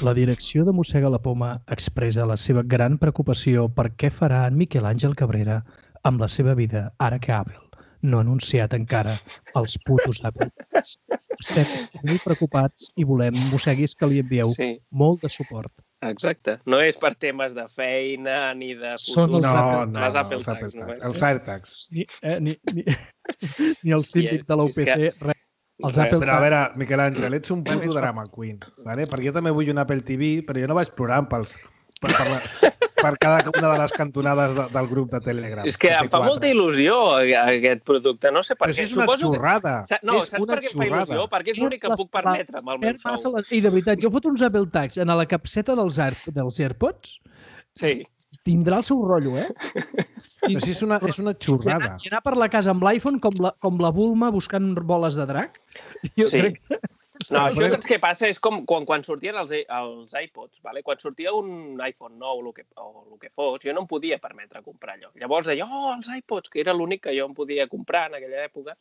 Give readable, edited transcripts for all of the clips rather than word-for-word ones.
La direcció de Mossega la Poma expressa la seva gran preocupació per què farà en Miquel Àngel Cabrera amb la seva vida ara que Apple no ha anunciat encara els putos Apple Tags. Estem molt preocupats i volem, mosseguis, que li envieu molt de suport. Exacte. No és per temes de feina ni de futur. Són les Apple Tags. Els AirTags. Ni el síndic de l'UPC, res. Però a veure, Miquel Àngel, ets un puto drama queen, ¿vale? Perquè jo també vull un Apple TV, però jo no vaig plorant per cada una de les cantonades del grup de Telegram. És que em fa molta il·lusió aquest producte, no sé per què. Però és una xorrada. No, saps per què em fa il·lusió? Perquè és l'únic que puc permetre amb el meu sou. I de veritat, jo foto uns Apple Tags en la capseta dels AirPods. Sí. Tindrà el seu rotllo, Però sí, és una xorrada. I anar per la casa amb l'iPhone com la Bulma buscant boles de drac. Sí. No, això saps què passa? És com quan sortien els iPods, ¿vale? Quan sortia un iPhone nou o el que fos, jo no em podia permetre comprar allò. Llavors deia, els iPods, que era l'únic que jo em podia comprar en aquella època.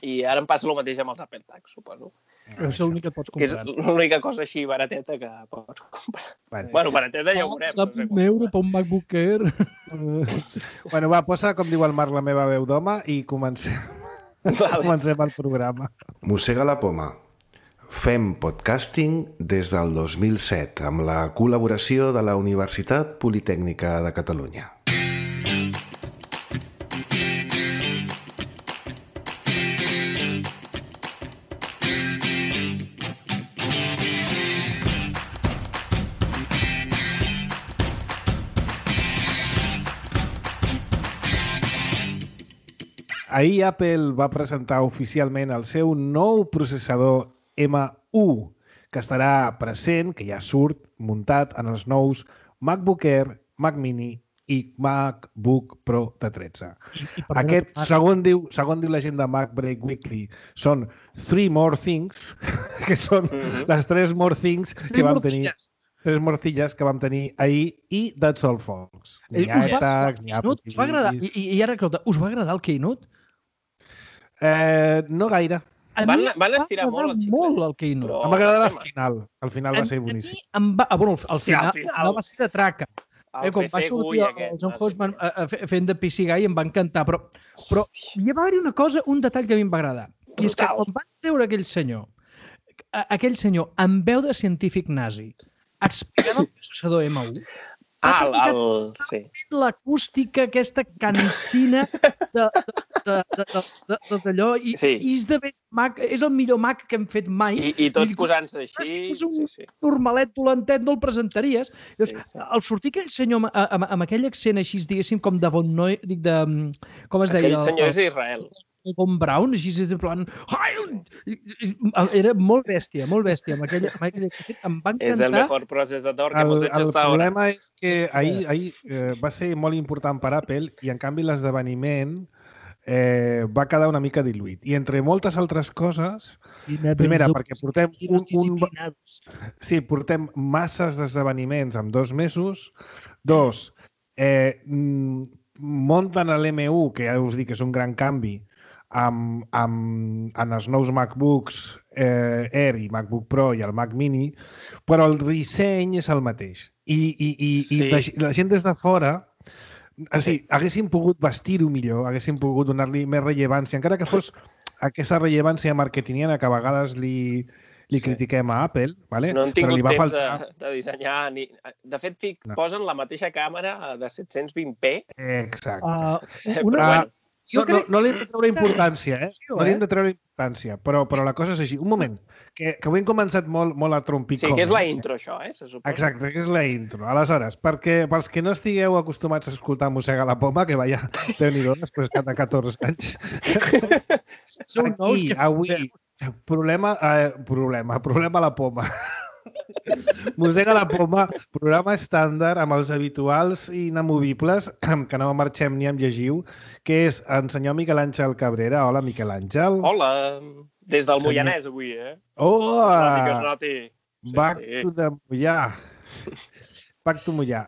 I ara em passa el mateix amb els Apple Tags, suposo. És l'únic que pots comprar. Que és l'única cosa així barateta que pots comprar. Bueno, barateta ja ho veurem. €1 per un MacBook Air. Bueno, va, posa, com diu el Marc, la meva veu d'home i comencem el programa. Mossega la Poma. Fem podcasting des del 2007 amb la col·laboració de la Universitat Politècnica de Catalunya. Ahir Apple va presentar oficialment el seu nou processador M1, que estarà present, que ja surt muntat en els nous MacBook Air, Mac Mini i MacBook Pro de 13. Aquest, segons diu la gent de MacBreak Weekly, són 3 more things, que són les 3 more things que vam tenir. 3 morcilles que vam tenir ahir i that's all, folks. Ni AirTags, ni Apple TV. Us va agradar? I ara, us va agradar el Keynote? No gaire. Van estirar molt el Keynote. Em va agradar el final. El final va ser boníssim. El final va ser de traca. Com va sortir el John Hosman fent de PC Guy em va encantar. Però hi va haver-hi una cosa, un detall que a mi em va agradar. I és que quan van treure aquell senyor amb veu de científic nazi explicant el processador M1, l'acústica, aquesta cansina d'allò, i és el millor Mac que hem fet mai. I tots posant-se així. Si fos un normalet dolentet no el presentaries. Al sortir aquell senyor amb aquell accent així, diguéssim, com de Von Noy, com es deia? Aquell senyor és d'Israel. Von Braun, així en plan... Era molt bèstia, amb aquella em va encantar. És el mejor procesador que hemos hecho hasta ahora. El problema és que ahir va ser molt important per Apple i, en canvi, l'esdeveniment va quedar una mica diluït. I entre moltes altres coses, primera, perquè portem masses d'esdeveniments en 2 mesos. 2, munten l'M1, que ja us dic que és un gran canvi, en els nous MacBooks Air i MacBook Pro i el Mac Mini, però el disseny és el mateix. I la gent des de fora, haguessin pogut vestir-ho millor, haguessin pogut donar-li més rellevància, encara que fos aquesta rellevància marketingiana que a vegades li critiquem a Apple. No han tingut temps de dissenyar. De fet, posen la mateixa càmera de 720p. Exacte. No li hem de treure importància, No li hem de treure importància, però la cosa és així. Un moment, que avui hem començat molt a trompicó. Sí, que és la intro, això, se suposa. Exacte, que és la intro. Aleshores, pels que no estigueu acostumats a escoltar Mossega la Poma, que vaya, Déu-n'hi-do, després de 14 anys. Aquí, avui, problema a la poma. Mossega la Poma, programa estàndard amb els habituals i inamovibles, que no marxem ni amb llegiu, que és el senyor Miquel Àngel Cabrera. Hola, Miquel Àngel. Hola, des del Moianès avui, Hola! Back to the Moià. Back to Moià.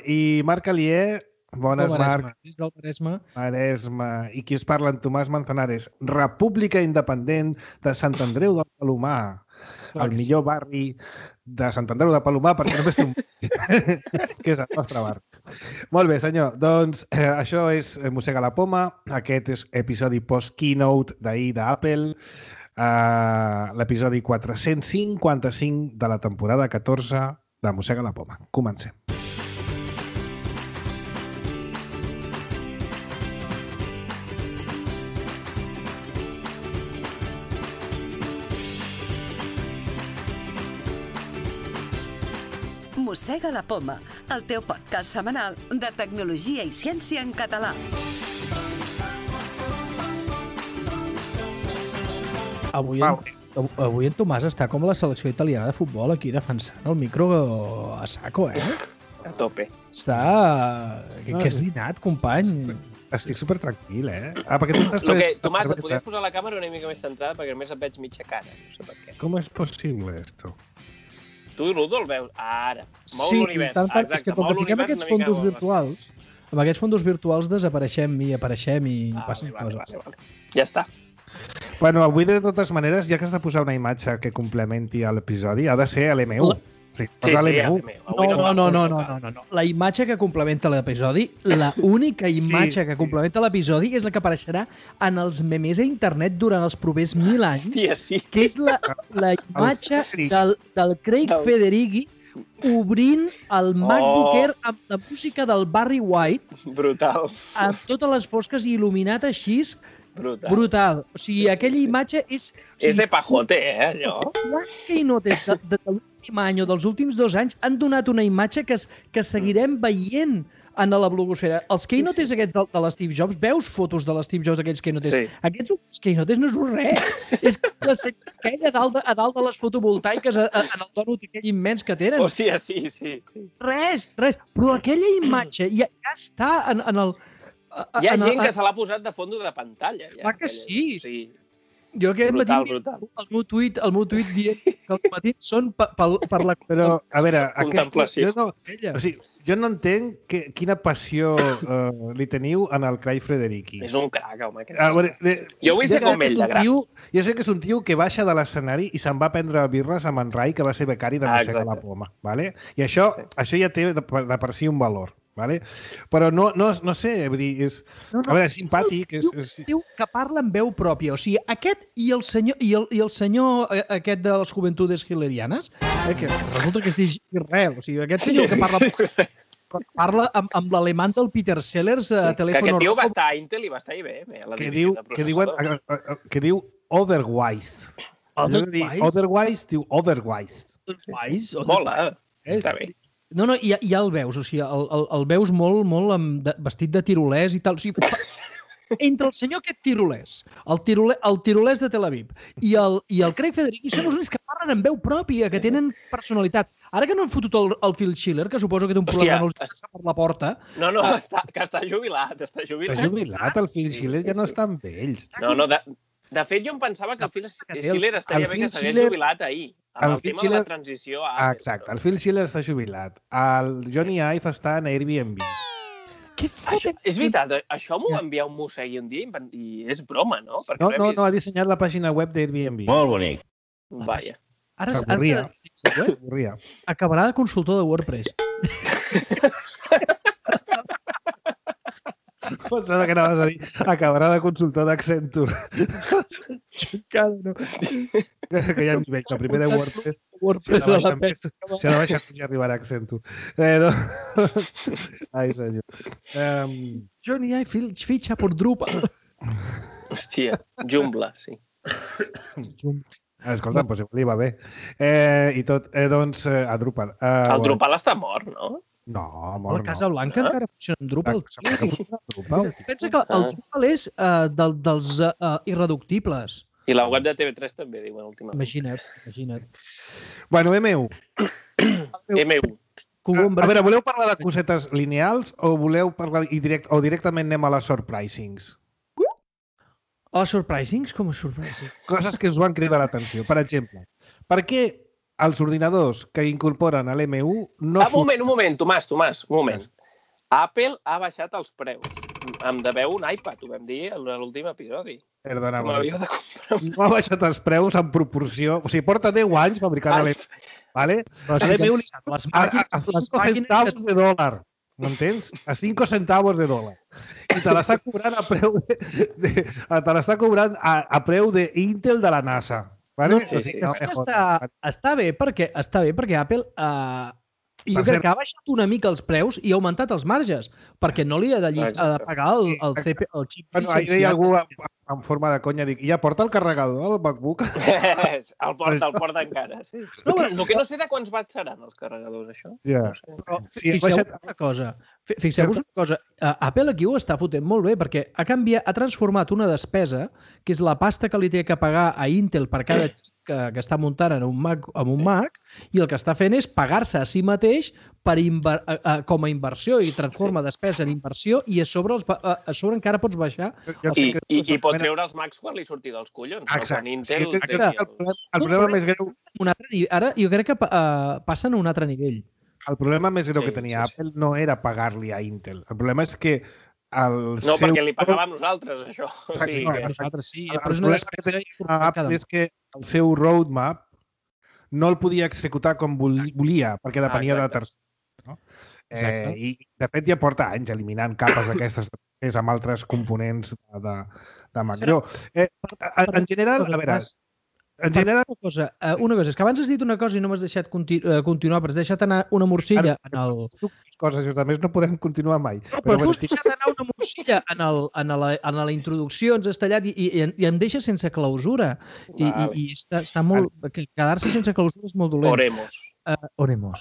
I Marc Alier, Bones, Marc. Des del Maresme. Maresme. I qui us parla, en Tomàs Manzanares. República Independent de Sant Andreu del Palomar. El millor barri de Sant Andreu de Palomar, perquè només té un... que és el nostre barri. Molt bé, senyor. Doncs això és Mossega la Poma. Aquest és episodi post-keynote d'ahir d'Apple. L'episodi 455 de la temporada 14 de Mossega la Poma. Comencem. Mossega la Poma, el teu podcast setmanal de tecnologia i ciència en català. Avui en Tomàs està com la selecció italiana de futbol aquí defensant el micro a saco, A tope. Està... Que has dinat, company? Estic supertranquil, perquè tu estàs... Tomàs, et podries posar la càmera una mica més centrada perquè només et veig mitja cara. No sé per què. Com és possible, esto? Tu, Ludo, el veus ara. Mou Sí, l'univers. tant, és que com que fiquem aquests fondos virtuals, amb aquests fondos virtuals desapareixem i apareixem i passen coses. Vale. Ja està. Bueno, avui, de totes maneres, ja que has de posar una imatge que complementi l'episodi, ha de ser l'M1. Sí, l'M1. No. La imatge que complementa l'episodi, l'única imatge que complementa l'episodi és la que apareixerà en els memes a internet durant els propers 1000 anys, que és la imatge del Craig Federighi obrint el MacBook Air amb la música del Barry White. Brutal. Amb totes les fosques i il·luminat així. Brutal. O sigui, aquella imatge és... És de pajote, allò. Quants keynotes de l'últim any o dels últims 2 anys han donat una imatge que seguirem veient en la blogosfera. Els keynotes aquests de l'Steve Jobs, veus fotos de l'Steve Jobs, aquells keynotes? Sí. Aquests keynotes no és res. És aquella a dalt de les fotovoltaiques en el donut aquell immens que tenen. Hòstia, sí. Res. Però aquella imatge ja està en el... Hi ha gent que se l'ha posat de fondo de pantalla. Clar que sí. Sí. Jo aquest matí Brutal. el meu tuit dient que els matins són per la... Però, a veure, contemplació. Jo no entenc quina passió li teniu en el Craig Federighi. És un crac, home. Jo vull ser com ell, de gran. Jo sé que és un tio que baixa de l'escenari i se'n va prendre birres amb en Rai, que va ser becari de Mossega la Poma. Vale? I això ja té de per si un valor. Vale? Però no sé, vull dir, és... A veure, és simpàtic. És un tio que parla amb veu pròpia. O sigui, aquest i el senyor aquest de les Juventudes Hitlerianes, que resulta que es diu Israel. O sigui, aquest senyor que parla amb l'alemany del Peter Sellers a telèfon... Que aquest tio va estar a Intel i va estar a IBM, a la divisió de processadors. Que diu otherwise. Otherwise diu otherwise. Mola, està bé. No, ja el veus, o sigui, el veus molt vestit de tirolès i tal. O sigui, entre el senyor aquest tirolès, el tirolès de Tel Aviv i el Craig Federighi són els únics que parlen amb veu pròpia, que tenen personalitat. Ara que no han fotut el Phil Schiller, que suposo que té un problema no els passa per la porta... No, que està jubilat. Està jubilat, el Phil Schiller ja no està amb ells. No, de fet, jo em pensava que el Phil Schiller estaria bé que s'hagués jubilat ahir. Amb el tema de la transició a Apple. Exacte, el Phil Schiller està jubilat. El Johnny Ive està en Airbnb. És veritat, això m'ho va enviar un mossegui un dia i és broma, no? No, ha dissenyat la pàgina web d'Airbnb. Molt bonic. Vaja. S'avorria. Acabarà de consultor de WordPress. Pensava que anaves a dir acabarà de consultor d'Accenture. Que ja ens veig, la primera WordPress. Si ha de baixar ja arribarà a Accenture. Ai, senyor. Johnny Ive fitxa per Drupal. Hòstia, Joomla, sí. Escolta, doncs li va bé. I tot, doncs, a Drupal. El Drupal està mort, no? No, mort no. La Casa Blanca encara funciona amb Drupal. Pensa que el Drupal és dels irreductibles. I la web de TV3 també, diuen últimament. Imagina't. Bueno, M1. M1. A veure, voleu parlar de cosetes lineals o voleu parlar o directament anem a les surprisings? A les surprisings? Com a surprisings? Coses que us van cridar l'atenció. Per exemple, per què els ordinadors que incorporen a l'M1 no... Un moment, Tomàs, un moment. Apple ha baixat els preus. Em deveu un iPad, ho vam dir a l'últim episodi. Perdona, Me l'havíeu de comprar. no ha baixat els preus en proporció. O sigui, porta 10 anys fabricant l'M1, ¿vale? L'M1 a 5 centavos de dòlar. M'entens? A 5 centavos de dòlar. I te l'està cobrant a preu a preu d'Intel de la NASA. Vale? Sí. Està bé perquè Apple jo crec que ha baixat una mica els preus i ha augmentat els marges, perquè no li ha de pagar el xip. Bueno, ahir deia algú en forma de conya, dic, ja porta el carregador del MacBook? El porta encara, sí. El que no sé de quants watts seran els carregadors, això. Ja. Però fixeu-vos una cosa. Apple aquí ho està fotent molt bé, perquè ha transformat una despesa, que és la pasta que li té que pagar a Intel per cada xip que està muntant en un Mac, i el que està fent és pagar-se a si mateix com a inversió, i transforma despesa en inversió, i a sobre encara pots baixar. I pot treure els Macs quan li surti dels collons. Exacte. El problema més greu... Ara jo crec que passen a un altre nivell. El problema més greu que tenia Apple no era pagar-li a Intel. El problema és que perquè li pagàvem nosaltres, això. Nosaltres sí, però és una despesa és que el seu roadmap no el podia executar com volia, perquè depenia de tercers. I, de fet, ja porta anys eliminant capes d'aquestes amb altres components de Mac. En general, a veure... Una cosa, és que abans has dit una cosa i no m'has deixat continuar, però has deixat anar una morcilla en el... Coses, a més no podem continuar mai. Però tu has deixat anar una morcilla en la introducció, ens has tallat i em deixa sense clausura. I està molt... Quedar-se sense clausura és molt dolent. Oremos.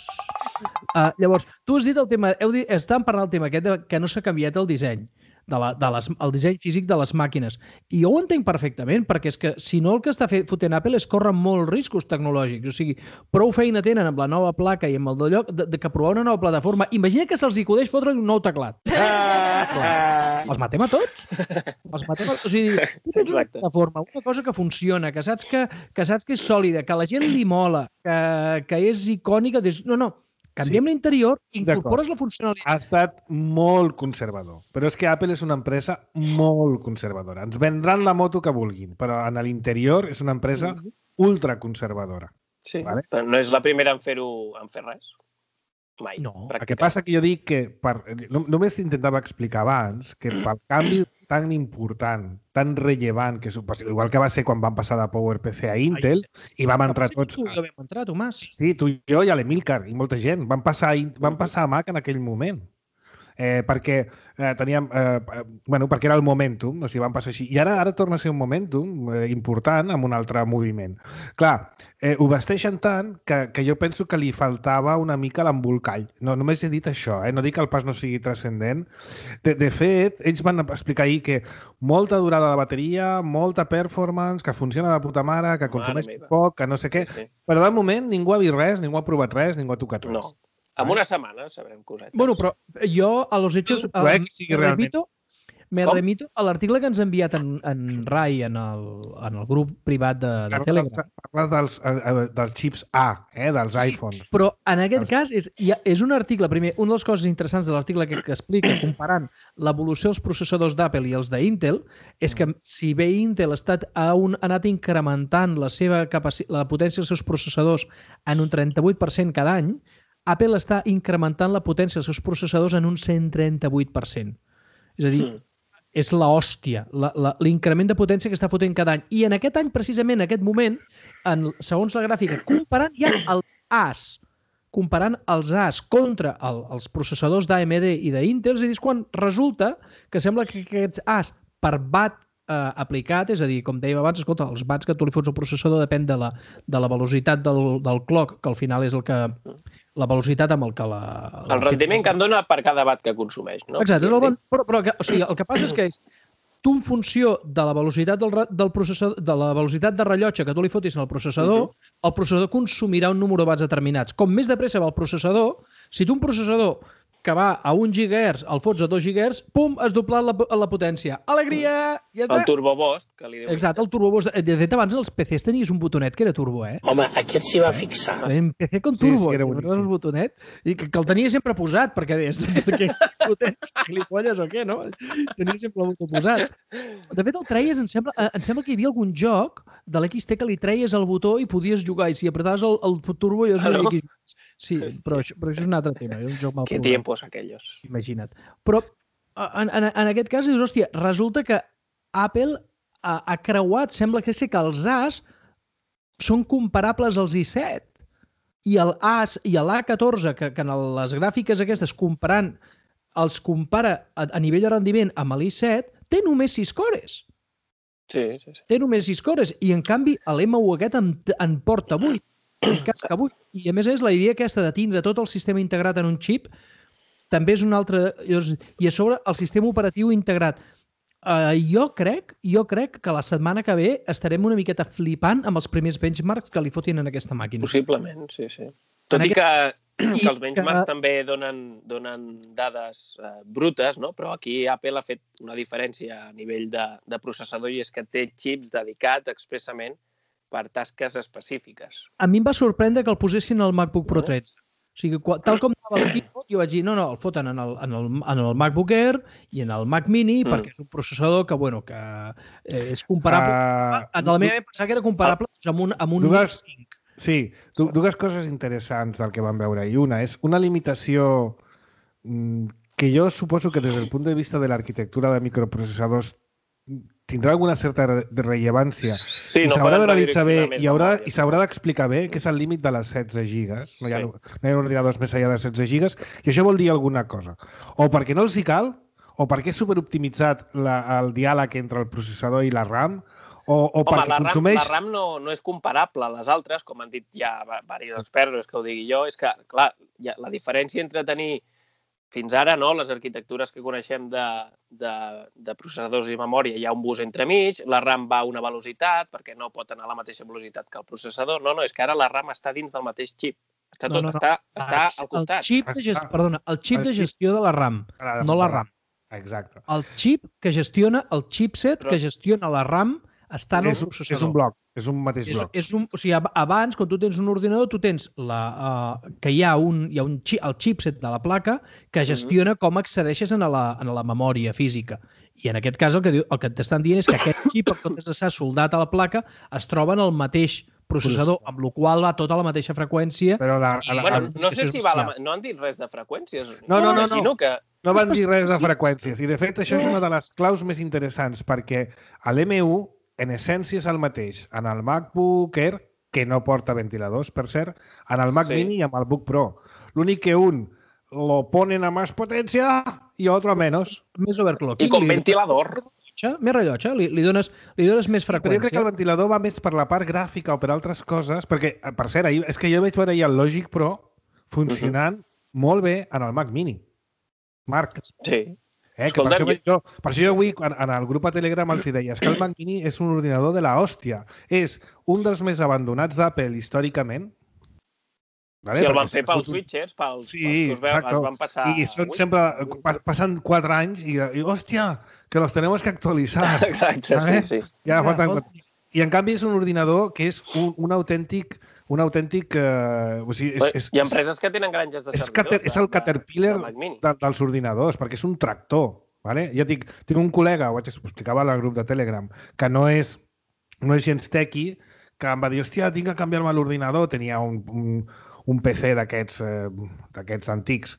Llavors, tu has dit el tema... Estàvem parlant del tema aquest que no s'ha canviat el disseny. El disseny físic de les màquines. I jo ho entenc perfectament, perquè és que si no el que està fotent Apple és córrer molts riscos tecnològics. O sigui, prou feina tenen amb la nova placa i amb el del lloc que provar una nova plataforma. Imagina que se'ls acudeix fotre un nou teclat. Els matem a tots. O sigui, tu tens una plataforma, una cosa que funciona, que saps que és sòlida, que a la gent li mola, que és icònica. No. Canviem l'interior, incorpores la funcionalitat. Ha estat molt conservador. Però és que Apple és una empresa molt conservadora. Ens vendran la moto que vulguin, però en l'interior és una empresa ultraconservadora. Sí, no és la primera en fer res. Mai. No, el que passa que jo dic que només intentava explicar abans que pel canvi tan important, tan rellevant, igual que va ser quan van passar de PowerPC a Intel i vam entrar tots... Tu i jo vam entrar, Tomàs. Sí, tu i jo i l'Emilcar i molta gent. Van passar a Mac en aquell moment. Perquè teníem... perquè era el momentum, o sigui, van passar així. I ara torna a ser un momentum important amb un altre moviment. Clar, ho vesteixen tant que jo penso que li faltava una mica l'embolcall. No, només he dit això, no dic que el pas no sigui transcendent. De fet, ells van explicar ahir que molta durada de bateria, molta performance, que funciona de puta mare, que consumeix poc, que no sé què. Però de moment ningú ha vist res, ningú ha provat res, ningú ha tocat res. No. En una setmana sabrem cosetes. Bueno, però jo a los hechos me remito a l'article que ens ha enviat en Rai en el grup privat de Telegram. Parles dels xips A, dels iPhones. Però en aquest cas és un article, primer, una de les coses interessants de l'article que explica comparant l'evolució dels processadors d'Apple i els d'Intel és que si bé Intel ha anat incrementant la potència dels seus processadors en un 38% cada any, Apple està incrementant la potència dels seus processadors en un 138%. És a dir, és l'hòstia, l'increment de potència que està fotent cada any. I en aquest any, precisament, en aquest moment, segons la gràfica, comparant ja els As contra els processadors d'AMD i d'Intel, és a dir, quan resulta que sembla que aquests As per watt aplicat, és a dir, com dèiem abans, escolta, els watts que tu li fots al processador depèn de la velocitat del clock, que al final és la velocitat amb el que el rendiment que em dona per cada watt que consumeix, no? Exacte, però el que passa és que tu en funció de la velocitat del processador, de la velocitat de rellotge que tu li fotis al processador, el processador consumirà un número de watts determinats. Com més de pressa va el processador, si tu un processador que va a 1 GHz, el fots a 2 GHz, pum, has doblat la potència. Alegria! Ja està. El Turbo Boost, que li diu. Exacte, el Turbo Boost. De fet, abans els PCs tenies un botonet que era turbo, Home, aquest s'hi va fixar. Un PC con turbo, Sí, era el boníssim. botonet, i que el tenia sempre posat, perquè deies, aquests botons gilipolles o què, no? Tenia sempre el botó posat. De fet, el treies, em sembla que hi havia algun joc de l'XT que li treies el botó i podies jugar, i si apretaves el turbo jo sabia que jugués. Sí, però això és un altre tema, és un joc mal Que programat. tiempos aquellos. Imagina't. Però en aquest cas, dius, hòstia, resulta que Apple ha creuat, sembla que sí que els As són comparables als i7 i el As i l'A14, que en les gràfiques aquestes comparant els compara a nivell de rendiment amb l'i7, té només 6 cores. Sí. Té només 6 cores i en canvi l'M1 aquest en porta 8. En casca 8. I a més la idea aquesta de tindre tot el sistema integrat en un xip també és un altre... I a sobre el sistema operatiu integrat. Jo crec que la setmana que ve estarem una miqueta flipant amb els primers benchmarks que li fotin en aquesta màquina. Possiblement, sí. Tot i que els benchmarks també donen dades brutes, no? Però aquí Apple ha fet una diferència a nivell de processador i és que té xips dedicats expressament per tasques específiques. A mi em va sorprendre que el posessin al MacBook Pro 13. O sigui, tal com anava el keyboard, jo vaig dir, no, el foten en el MacBook Air i en el Mac Mini, perquè és un processador que és comparable. En la meva pensava que era comparable amb un Mac 5. Sí, dues coses interessants del que vam veure. I una és una limitació que jo suposo que des del punt de vista de l'arquitectura de microprocessadors tindrà alguna certa rellevància i s'haurà d'analitzar bé i s'haurà d'explicar bé què és el límit de les 16 gigas. No hi ha ordinadors més enllà de 16 gigas i això vol dir alguna cosa. O perquè no els hi cal, o perquè és superoptimitzat el diàleg entre el processador i la RAM, o perquè consumeix... La RAM no és comparable a les altres, com han dit ja diversos experts, que ho digui jo, és que, clar, la diferència entre tenir fins ara, no, les arquitectures que coneixem de processadors i memòria, hi ha un bus entremig, la RAM va a una velocitat, perquè no pot anar a la mateixa velocitat que el processador. No, és que ara la RAM està dins del mateix xip. Està al costat. El xip de gestió de la RAM, no la RAM. Exacte. El xip que gestiona, el chipset que gestiona la RAM està en el processador. És un bloc, és un mateix bloc. O sigui, abans, quan tu tens un ordinador, tu tens que hi ha el chipset de la placa que gestiona com accedeixes a la memòria física. I en aquest cas el que t'estan dient és que aquest xip, en comptes d'estar soldat a la placa, es troba en el mateix processador, amb la qual va tota la mateixa freqüència. No sé si no han dit res de freqüències. No van dir res de freqüències. I, de fet, això és una de les claus més interessants, perquè l'M1 en essència és el mateix en el MacBook Air, que no porta ventiladors, per cert, en el Mac Mini i amb el Book Pro. L'únic que un lo ponen a més potència i otro a menys. Més overclocking. I con ventilador. Més rellotge, li dones més freqüència. Però jo crec que el ventilador va més per la part gràfica o per altres coses, perquè, per cert, és que jo vaig veure ahir el Logic Pro funcionant molt bé en el Mac Mini. Marc. Sí. Per això jo avui en el grup a Telegram els deia que el Mac Mini és un ordinador de la hòstia. És un dels més abandonats d'Apple històricament. Sí, el van fer pels switchers, pels que es van passar... I sempre passen 4 anys i hòstia, que los tenemos que actualitzar. Exacte, sí. I en canvi és un ordinador que és un autèntic... Hi ha empreses que tenen granges de servidors. És el Caterpillar dels ordinadors, perquè és un tractor. Jo tinc un col·lega, ho explicava al grup de Telegram, que no és gens tequi, que em va dir, hòstia, tinc que canviar-me l'ordinador. Tenia un PC d'aquests antics.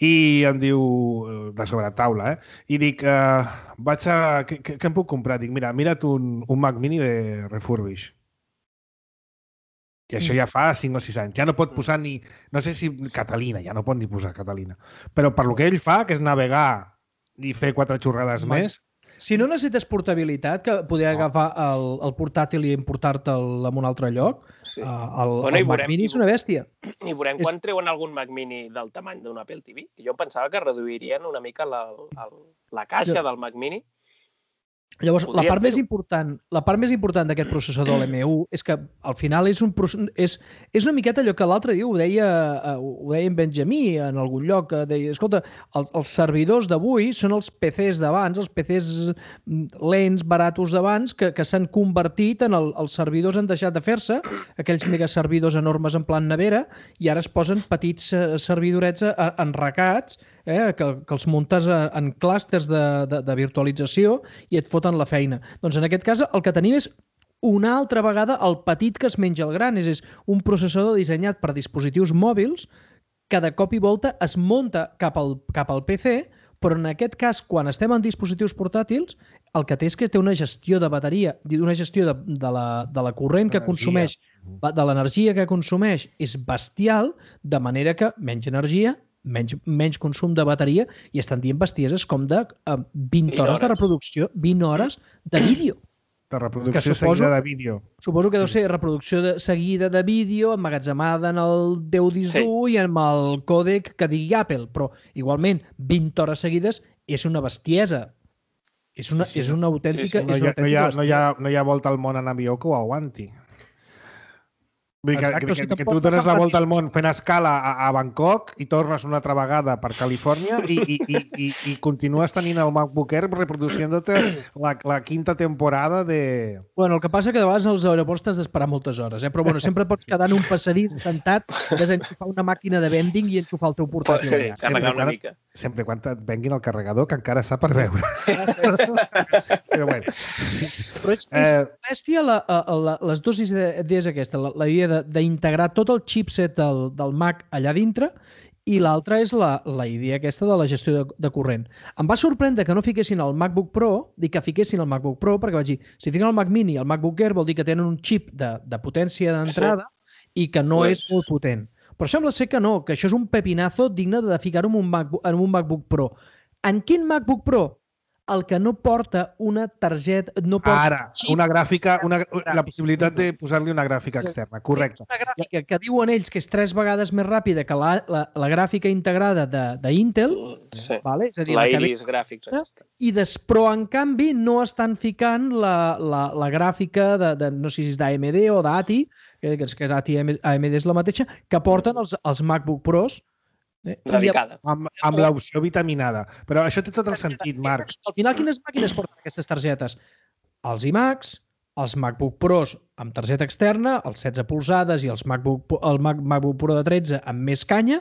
I em diu, de sobretaula, i dic, què em puc comprar? Dic, mira't un Mac Mini de refurbish. I això ja fa 5 o 6 anys. Ja no pot posar ni... No sé si Catalina, ja no pot ni posar Catalina. Però per lo que ell fa, que és navegar i fer 4 xorrades més... Si no necessites portabilitat, que poder agafar el portàtil i importar-te'l a un altre lloc, el Mac Mini és una bèstia. I veurem quan treuen algun Mac Mini del tamany d'un Apple TV. Jo pensava que reduirien una mica la caixa del Mac Mini. Llavors, la part més important d'aquest processador, l'M1, és que al final és una miqueta allò que l'altre dia ho deia en Benjamí en algun lloc, que deia, escolta, els servidors d'avui són els PCs d'abans, els PCs lents, baratos d'abans, que s'han convertit en els servidors han deixat de fer-se, aquells megaservidors enormes en plan nevera, i ara es posen petits servidorets enracats, que els muntes en clústers de virtualització i et foten la feina. Doncs en aquest cas el que tenim és una altra vegada el petit que es menja el gran, és un processador dissenyat per dispositius mòbils que de cop i volta es munta cap al PC, però en aquest cas, quan estem en dispositius portàtils, el que té és que té una gestió de bateria, una gestió de la corrent que consumeix, de l'energia que consumeix, és bestial, de manera que menys energia, menys consum de bateria, i estan dient bestieses com de 20 hores de reproducció, 20 hores de vídeo. De reproducció seguida de vídeo. Suposo que deu ser reproducció seguida de vídeo, emmagatzemada en el teu disc dur i amb el còdec que digui Apple, però igualment 20 hores seguides és una bestiesa. És una autèntica... No hi ha volta al món en avió que ho aguanti. Vull dir que tu dones la volta al món fent escala a Bangkok i tornes una altra vegada per Califòrnia i continues tenint el MacBook Air reproduciendo-te la quinta temporada de... Bueno, el que passa que de vegades als aeroports t'has d'esperar moltes hores, però bueno, sempre pots quedar en un passadís sentat, desenxufar una màquina de vending i enxufar el teu portàtil. Carregar una mica. Sempre quan et venguin el carregador, que encara està per veure. Però bueno. Però és bèstia les dues idees aquesta, la idea d'integrar tot el chipset del Mac allà dintre, i l'altra és la idea aquesta de la gestió de corrent. Em va sorprendre que no fiquessin el MacBook Pro, que fiquessin el MacBook Pro, perquè vaig dir, si fiquen el Mac Mini i el MacBook Air vol dir que tenen un xip de potència d'entrada i que no és molt potent. Però sembla ser que no, que això és un pepinazo digne de ficar-ho en un MacBook Pro. En quin MacBook Pro? El que no porta una targeta... Ara, una gràfica, la possibilitat de posar-li una gràfica externa, correcte. Una gràfica que diuen ells que és 3 vegades més ràpida que la gràfica integrada d'Intel, és a dir, la Iris Graphics. Però, en canvi, no estan ficant la gràfica de no sé si és d'AMD o d'ATI, que AMD és la mateixa, que porten els MacBook Pros, radicada. Amb l'opció vitaminada. Però això té tot el sentit, Marc. Al final, quines màquines porten aquestes targetes? Els iMacs, els MacBook Pros amb targeta externa, els 16 polzades i el MacBook Pro de 13 amb més canya,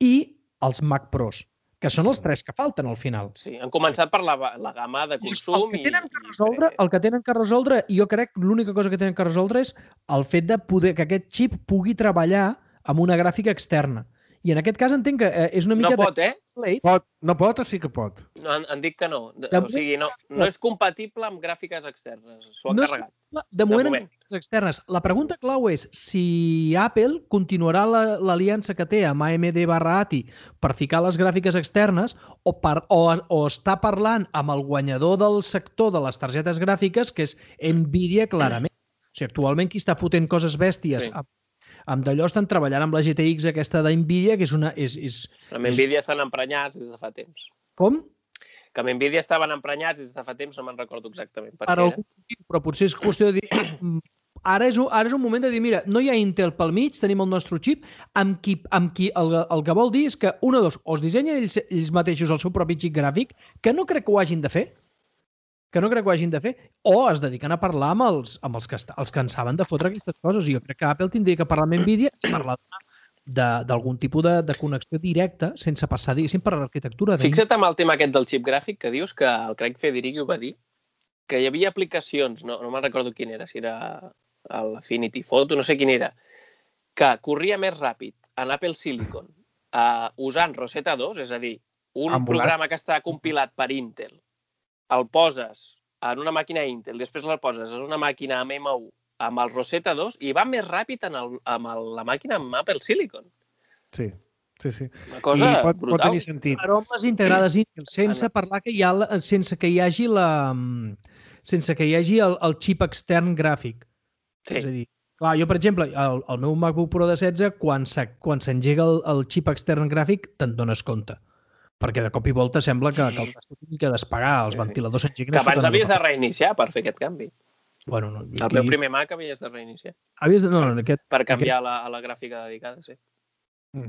i els Mac Pros, que són els 3 que falten al final. Sí, han començat per la gamma de consum. El que tenen que resoldre, i jo crec que l'única cosa que tenen que resoldre és el fet de poder que aquest xip pugui treballar amb una gràfica externa. I en aquest cas entenc que és una mica... No pot, No pot o sí que pot? No, han dit que no. O sigui, no és compatible amb gràfiques externes. S'ho han carregat. De moment amb gràfiques externes. La pregunta clau és si Apple continuarà l'aliança que té amb AMD/ATI per ficar les gràfiques externes o està parlant amb el guanyador del sector de les targetes gràfiques, que és Nvidia, clarament. O sigui, actualment qui està fotent coses bèsties amb d'allò estan treballant amb la GTX aquesta d'Nvidia, que és una... Amb Nvidia estan emprenyats des de fa temps. Com? Que amb Nvidia estaven emprenyats des de fa temps, no me'n recordo exactament per què era. Però potser és qüestió de dir... Ara és un moment de dir, mira, no hi ha Intel pel mig, tenim el nostre xip, amb qui el que vol dir és que, o es dissenyen ells mateixos el seu propi xip gràfic, que no crec que ho hagin de fer, o es dediquen a parlar amb els que en saben de fotre aquestes coses. I jo crec que Apple tindria que parlar amb Nvidia i parlar d'algun tipus de connexió directa sense passar, diguéssim, per l'arquitectura. Fixa't amb el tema aquest del xip gràfic, que dius que el Craig Federighi ho va dir, que hi havia aplicacions, no me'n recordo quin era, si era l'Affinity Photo, no sé quin era, que corria més ràpid en Apple Silicon usant Rosetta 2, és a dir, un programa que està compilat per Intel, el poses en una màquina Intel, després el poses en una màquina amb M1 amb el Rosetta 2 i va més ràpid amb la màquina amb Apple Silicon. Sí. Una cosa brutal. Pot tenir sentit. Aromes integrades Intel, sense parlar sense que hi hagi el xip extern gràfic. Sí. És a dir, clar, jo, per exemple, el meu MacBook Pro de 16, quan s'engega el xip extern gràfic, te'n dones compte. perquè de cop i volta sembla que el tast tingui que despegar, els ventiladors s'engeguen... Que abans havies de reiniciar per fer aquest canvi. Bueno, no, El meu primer Mac havies de reiniciar. Per canviar a la gràfica dedicada, sí.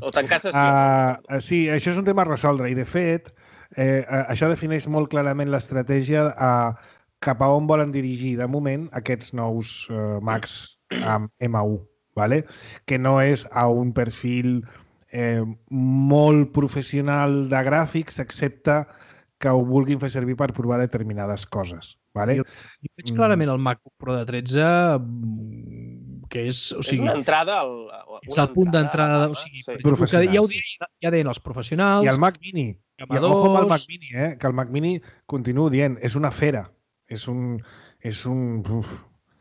O tancar sessió. Sí, això és un tema a resoldre i, de fet, això defineix molt clarament l'estratègia cap a on volen dirigir, de moment, aquests nous Macs amb M1, ¿vale? Que no és a un perfil molt professional de gràfics, excepte que ho vulguin fer servir per provar determinades coses. ¿Vale? Jo veig clarament el MacBook Pro de 13 que és... O sigui, és una entrada... És el punt d'entrada... O sigui, ja deien els professionals... I el Mac Mini. I ojo amb el Mac Mini, que el Mac Mini, continuo dient, és una fera. És un...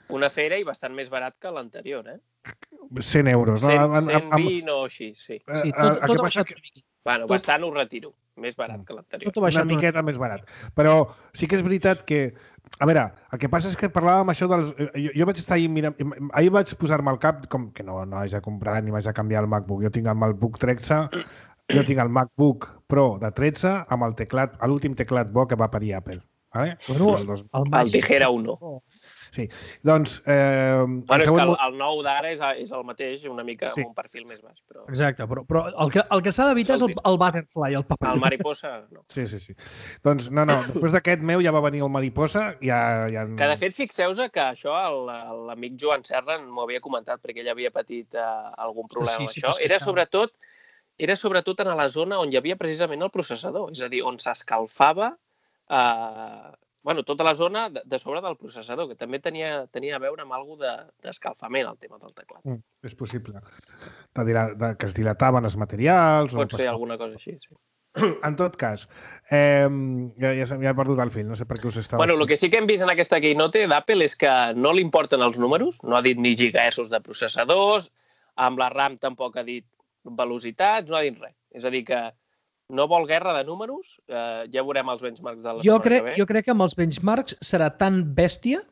Una fera i bastant més barat que l'anterior, 100 euros. 120 o així, sí. Sí, tot ha baixat una miqueta. Bueno, bastant ho retiro. Més barat que l'anterior. Una miqueta més barat. Però sí que és veritat que... A veure, el que passa és que parlàvem això dels... Jo vaig estar ahir mirant... Ahir vaig posar-me al cap com que no haig de comprar ni vaig a canviar el MacBook. Jo tinc el MacBook 13, jo tinc el MacBook Pro de 13 amb el teclat, l'últim teclat bo que va parir Apple. Vale? Bueno, el Tijera 1. Sí, doncs... Bueno, és que el nou d'ara és el mateix, una mica amb un perfil més baix. Però... Exacte, però el que s'ha d'evitar és el Butterfly, el paper. El Mariposa, no. Sí. Doncs no, després d'aquest meu ja va venir el Mariposa. Que de fet, fixeu-vos que això l'amic Joan Serra m'ho havia comentat perquè ell havia patit algun problema amb això. Era sobretot en la zona on hi havia precisament el processador, és a dir, on s'escalfava tota la zona de sobre del processador, que també tenia a veure amb alguna d'escalfament, el tema del teclat. És possible. Que es dilataven els materials... Pot ser alguna cosa així, sí. En tot cas, ja he perdut el fil, no sé per què us estava... Bueno, el que sí que hem vist en aquesta keynote d'Apple és que no li importen els números, no ha dit ni gigahertzos de processadors, amb la RAM tampoc ha dit velocitats, no ha dit res. És a dir que no vol guerra de números, ja veurem els benchmarks de la setmana que ve. Jo crec que amb els benchmarks serà tan bèstia...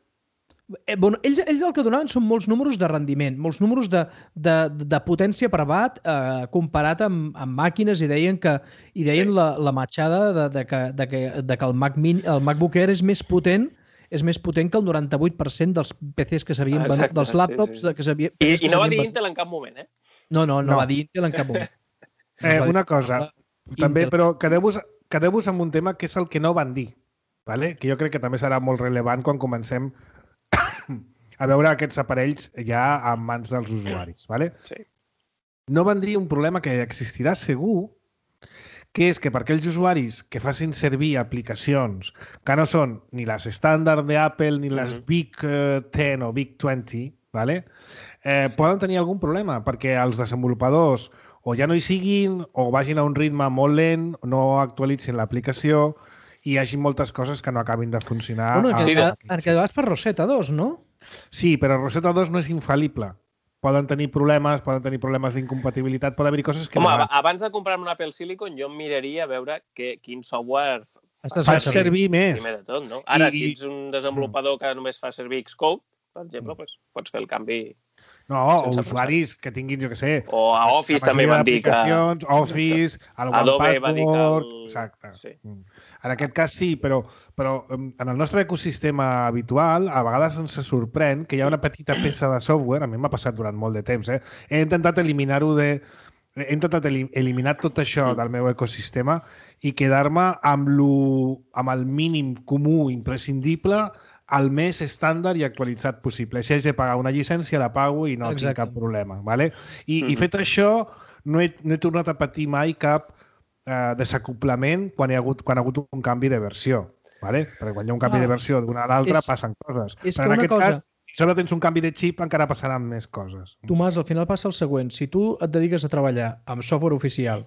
Ells el que donaven són molts números de rendiment, molts números de potència per watt comparat amb màquines i deien la matxada de que el MacBook Air és més potent que el 98% dels PCs que s'havien venut, dels laptops que s'havien... I no va dir Intel en cap moment, No va dir Intel en cap moment. Una cosa... També, però quedeu-vos amb un tema que és el que no van dir, ¿vale? Que jo crec que també serà molt rellevant quan comencem a veure aquests aparells ja en mans dels usuaris. ¿Vale? Sí. No van dir un problema que existirà segur, que és que per aquells usuaris que facin servir aplicacions que no són ni les estàndard d'Apple ni les Big 10 o Big 20, ¿vale? Poden tenir algun problema, perquè els desenvolupadors o ja no hi siguin, o vagin a un ritme molt lent, no actualitzin l'aplicació i hi hagi moltes coses que no acabin de funcionar. Que vas per Rosetta 2, no? Sí, però Rosetta 2 no és infal·lible. Poden tenir problemes d'incompatibilitat, pot haver-hi coses que... Home, abans de comprar-me un Apple Silicon, jo em miraria a veure quin software fa servir més. Primer de tot, no? Ara, si ets un desenvolupador que només fa servir Xcode, per exemple, pots fer el canvi... No, o usuaris que tinguin, jo què sé... O a Office també van dir que... Office, el OnePassword... Exacte. Sí. En aquest cas sí, però en el nostre ecosistema habitual a vegades ens sorprèn que hi ha una petita peça de software, a mi m'ha passat durant molt de temps, he intentat eliminar-ho he intentat eliminar tot això del meu ecosistema i quedar-me amb el mínim comú imprescindible el més estàndard i actualitzat possible. Si haig de pagar una llicència, la pago i no tinc cap problema. ¿Vale? I fet això, no he tornat a patir mai cap desacoplament quan ha hagut un canvi de versió. ¿Vale? Perquè quan hi ha un canvi de versió d'una a l'altra passen coses. Però en aquest cas, si sobre tens un canvi de xip, encara passaran més coses. Tomàs, al final passa el següent. Si tu et dediques a treballar amb software oficial,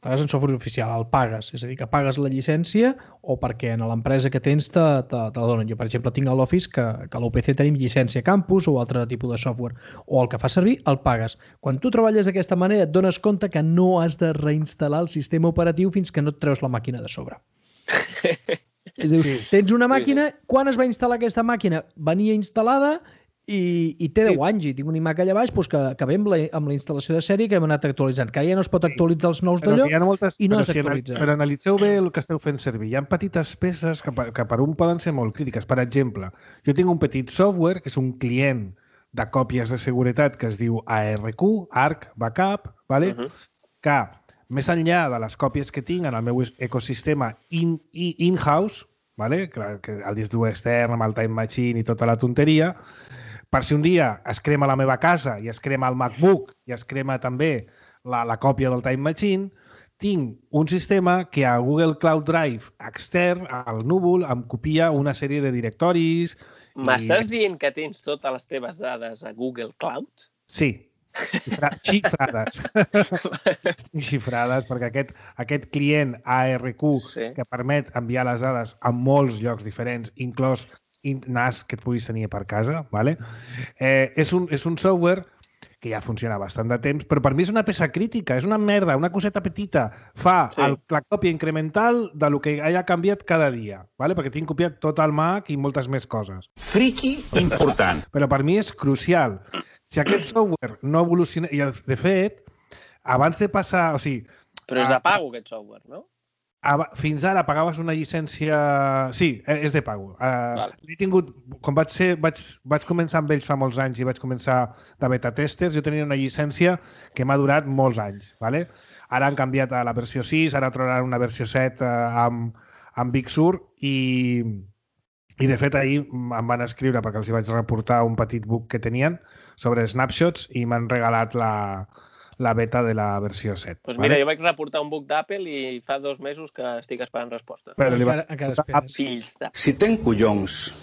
pagues en software oficial, el pagues, és a dir, que pagues la llicència o perquè en l'empresa que tens te donen. Jo, per exemple, tinc a l'Office que a l'UPC tenim llicència campus o altre tipus de software, o el que fa servir el pagues. Quan tu treballes d'aquesta manera et dones compte que no has de reinstal·lar el sistema operatiu fins que no et treus la màquina de sobre. És a dir, tens una màquina, quan es va instal·lar aquesta màquina? Venia instal·lada i té 10 anys i tinc un iMac allà baix que ve amb la instal·lació de sèrie que hem anat actualitzant. Que ja no es pot actualitzar els nous d'allò i no s'actualitza. Però analitzeu bé el que esteu fent servir. Hi ha petites peces que per un poden ser molt crítiques. Per exemple, jo tinc un petit software que és un client de còpies de seguretat que es diu ARQ, Arc Backup, que més enllà de les còpies que tinc en el meu ecosistema in-house, que el disc dur extern amb el Time Machine i tota la tonteria, per si un dia es crema la meva casa i es crema el MacBook i es crema també la còpia del Time Machine, tinc un sistema que a Google Cloud Drive extern, al núvol, em copia una sèrie de directoris. M'estàs dient que tens totes les teves dades a Google Cloud? Sí. Xifrades. Xifrades, perquè aquest client ARQ que permet enviar les dades a molts llocs diferents, inclòs NAS que et puguis tenir per casa, és un software que ja funciona bastant de temps, però per mi és una peça crítica, és una merda, una coseta petita. Fa la còpia incremental del que haya canviat cada dia, perquè tinc copiat tot el Mac i moltes més coses. Friki important. Però per mi és crucial. Si aquest software no evoluciona... I, de fet, abans de passar... Però és de pago, aquest software, no? Fins ara pagaves una llicència... Sí, és de pago. He tingut... Quan vaig començar amb ells fa molts anys i vaig començar de beta testers, jo tenia una llicència que m'ha durat molts anys. Ara han canviat a la versió 6, ara trobaran una versió 7 amb Big Sur i de fet ahir em van escriure perquè els vaig reportar un petit bug que tenien sobre snapshots i m'han regalat la beta de la versió 7. Doncs mira, jo vaig reportar un bug d'Apple i fa 2 mesos que estic esperant resposta. Però encara esperes. Fills de... Si ten collons,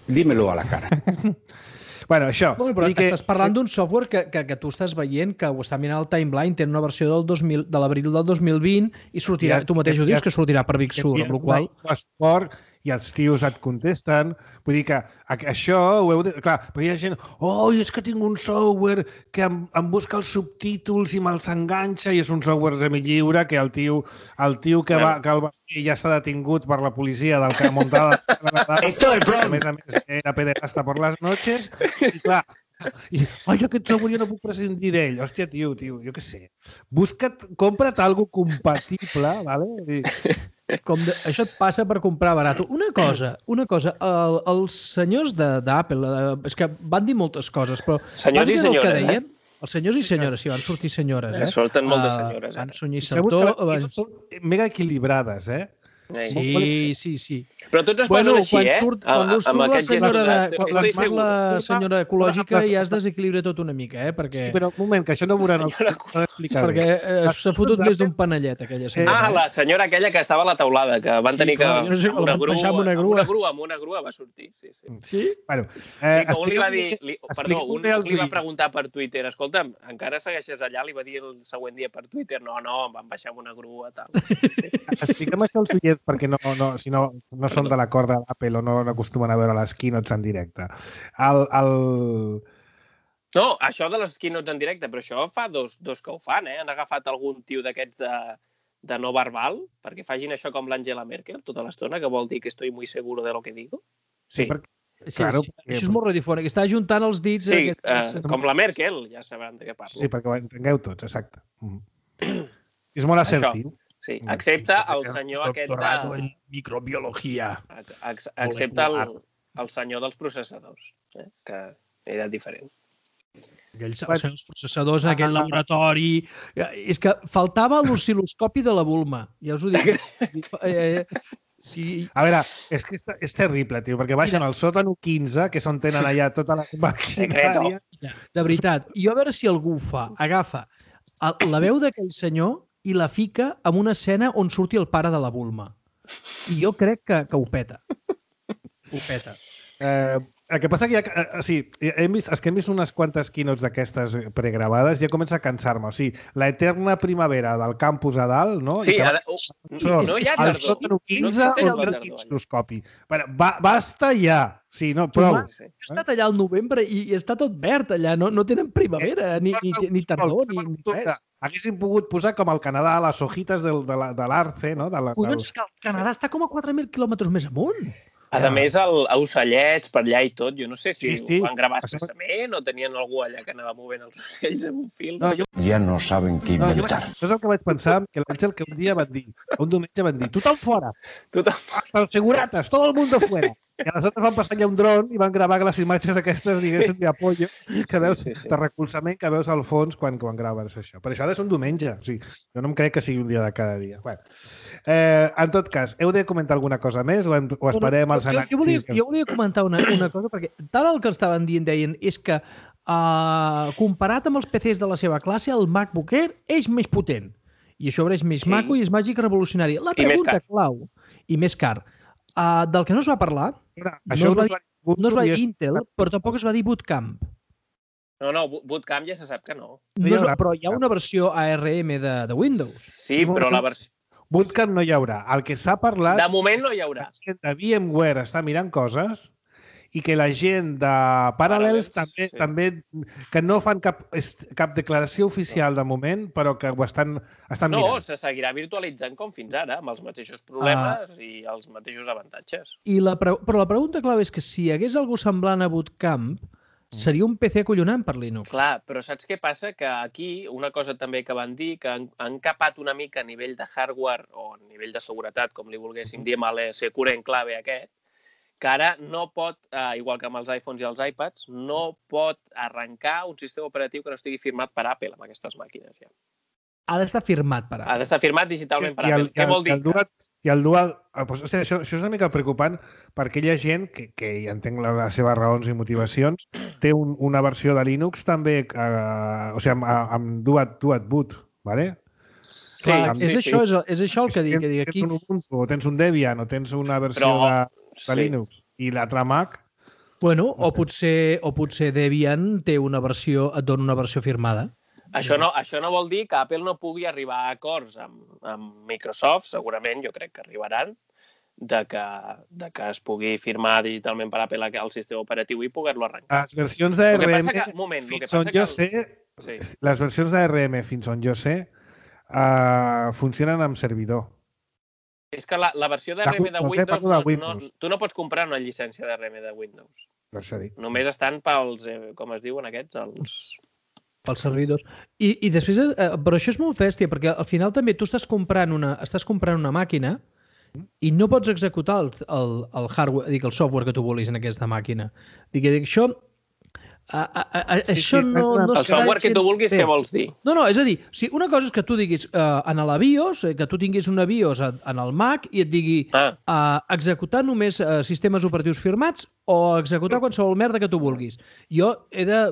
dímelo a la cara. Bueno, això... Però estàs parlant d'un software que tu estàs veient, que ho està mirant al timeline, té una versió de l'abril del 2020 i sortirà, tu mateix ho dius, que sortirà per Big Sur, amb la qual cosa... I els tios et contesten. Vull dir que això ho heu de... Clar, perquè hi ha gent... és que tinc un software que em busca els subtítols i me'ls enganxa i és un software semilliure que el tio que el va fer ja està detingut per la policia del que muntava a més era pederasta per les noches i clar, aquest software jo no puc prescindir d'ell. Hòstia, tio, jo què sé. Compra't algo compatible, ¿vale? Això et passa per comprar barat. Una cosa, els senyors d'Apple, és que van dir moltes coses, però... Senyors i senyores, Els senyors i senyores, sí, van sortir senyores, Surten moltes senyores, Van Sunyer Sartor... Són mega equilibrades, Sí. Però tots es posen així, Quan surt la senyora ecològica ja es desequilibra tot una mica, perquè... Sí, però un moment, que això no m'ho d'explicar. Perquè s'ha fotut més d'un panellet, aquella senyora. La senyora aquella que estava a la taulada, que van tenir que... Una grua va sortir, sí. Bueno, un li va dir... Perdó, un li va preguntar per Twitter, escolta'm, encara segueixes allà? Li va dir el següent dia per Twitter, no, em van baixar amb una grua, tal. Expliquem això als oients perquè si no són de la corda d'Apple o no acostumen a veure les keynotes en directe. No, això de les keynotes en directe, però això fa dos que ho fan, Han agafat algun tio d'aquests de no verbal perquè facin això com l'Angela Merkel tota l'estona, que vol dir que estoy muy seguro de lo que digo. Sí, perquè... Claro, això és molt radiofònic, està ajuntant els dits... Sí, com la Merkel, ja sabran de què parlo. Sí, perquè ho entengueu tots, exacte. És molt assertiu. Sí, excepte el senyor aquest de... microbiologia. Excepte el senyor dels processadors, que era diferent. Aquells senyors processadors en aquell laboratori... És que faltava l'oscil·loscopi de la Bulma, ja us ho dic. Sí. A veure, és que és terrible, tio, perquè baixen al sòtano 15, que és on tenen allà totes les maquinàries. De veritat. I a veure si algú agafa la veu d'aquell senyor i la fica en una escena on surti el pare de la Bulma. I jo crec que ho peta. Ho peta. El que passa que els que hem vist unes quantes keynotes d'aquestes pregravades ja comença a cansar-me. O sigui, la eterna primavera del campus a dalt, no? Sí, no hi ha tardor. El sòtano 15 o el microscopi. Basta ja. Sí, no, prou. He estat allà al novembre i està tot verd allà. No tenen primavera, ni tardor, ni res. Haguéssim pogut posar com al Canadà les hojitas de l'Arce, no? Collons, que el Canadà està com a 4.000 quilòmetres més amunt. A més, ocellets per allà i tot, jo no sé si Sí. ho van gravar expressament o tenien algú allà que anava movent els ocells amb un fil. Ya no saben qué inventar. Això és el que vaig pensar, que l'Àngel que un dia un diumenge van dir, tothom fora, hasta els segurates, todo el mundo fuera. I aleshores van passar allà un dron i van gravar les imatges aquestes, diguéssim, d'apollo, que veus, de recolzament que veus al fons quan graves això. Per això ha de ser un diumenge. O sigui, jo no em crec que sigui un dia de cada dia. Bueno, en tot cas, heu de comentar alguna cosa més o esperem als anàlisis? Jo volia comentar una cosa, perquè tal el que estaven deien és que comparat amb els PCs de la seva classe, el MacBook Air és més potent. I això és més maco i és màgic revolucionari. La pregunta clau, i més car, del que no es va parlar, no es va dir Intel, però tampoc es va dir Bootcamp. No, Bootcamp ja se sap que no. Però hi ha una versió ARM de Windows. Sí, però la versió... Bootcamp no hi haurà. El que s'ha parlat... De moment no hi haurà. És que VMware està mirant coses i que la gent de Parallels també que no fan cap declaració oficial de moment, però que ho estan mirant. No, se seguirà virtualitzant com fins ara, amb els mateixos problemes i els mateixos avantatges. Però la pregunta clau és que si hi hagués algú semblant a Bootcamp, seria un PC acollonant per Linux. Clar, però saps què passa? Que aquí, una cosa també que van dir, que han capat una mica a nivell de hardware o a nivell de seguretat, com li volguéssim dir, amb l'Secure Enclave aquest, que ara no pot, igual que amb els iPhones i els iPads, no pot arrencar un sistema operatiu que no estigui firmat per Apple amb aquestes màquines. Ja. Ha d'estar firmat per Apple. Ha d'estar firmat digitalment per Apple. Què vol dir? I el dual... Això és una mica preocupant per aquella gent que ja entenc les seves raons i motivacions, té una versió de Linux també, o sigui, amb dual boot, ¿vale? Sí, és això el que dic aquí. Tens un Ubuntu, o tens un Debian, o tens una versió de Linux i l'altra Mac... Bueno, o potser Debian et dona una versió firmada. Això no vol dir que Apple no pugui arribar a acords amb Microsoft, segurament, jo crec que arribaran, de que es pugui firmar digitalment per Apple el sistema operatiu i poder-lo arrencar. Les versions d'ARM, fins on jo sé, les versions d'ARM, fins on jo sé, funcionen amb servidor. És que la versió d'ARM de Windows, tu no pots comprar una llicència d'ARM de Windows. Només estan pels, com es diuen aquests, pels servidors. I després, però això és molt bèstia, perquè al final també tu estàs comprant una màquina i no pots executar el hardware, el software que tu vulguis en aquesta màquina. Això no... El software que tu vulguis, què vols dir? No, és a dir, una cosa és que tu diguis en la BIOS, que tu tinguis una BIOS en el Mac i et digui executar només sistemes operatius firmats o executar qualsevol merda que tu vulguis. Jo he de...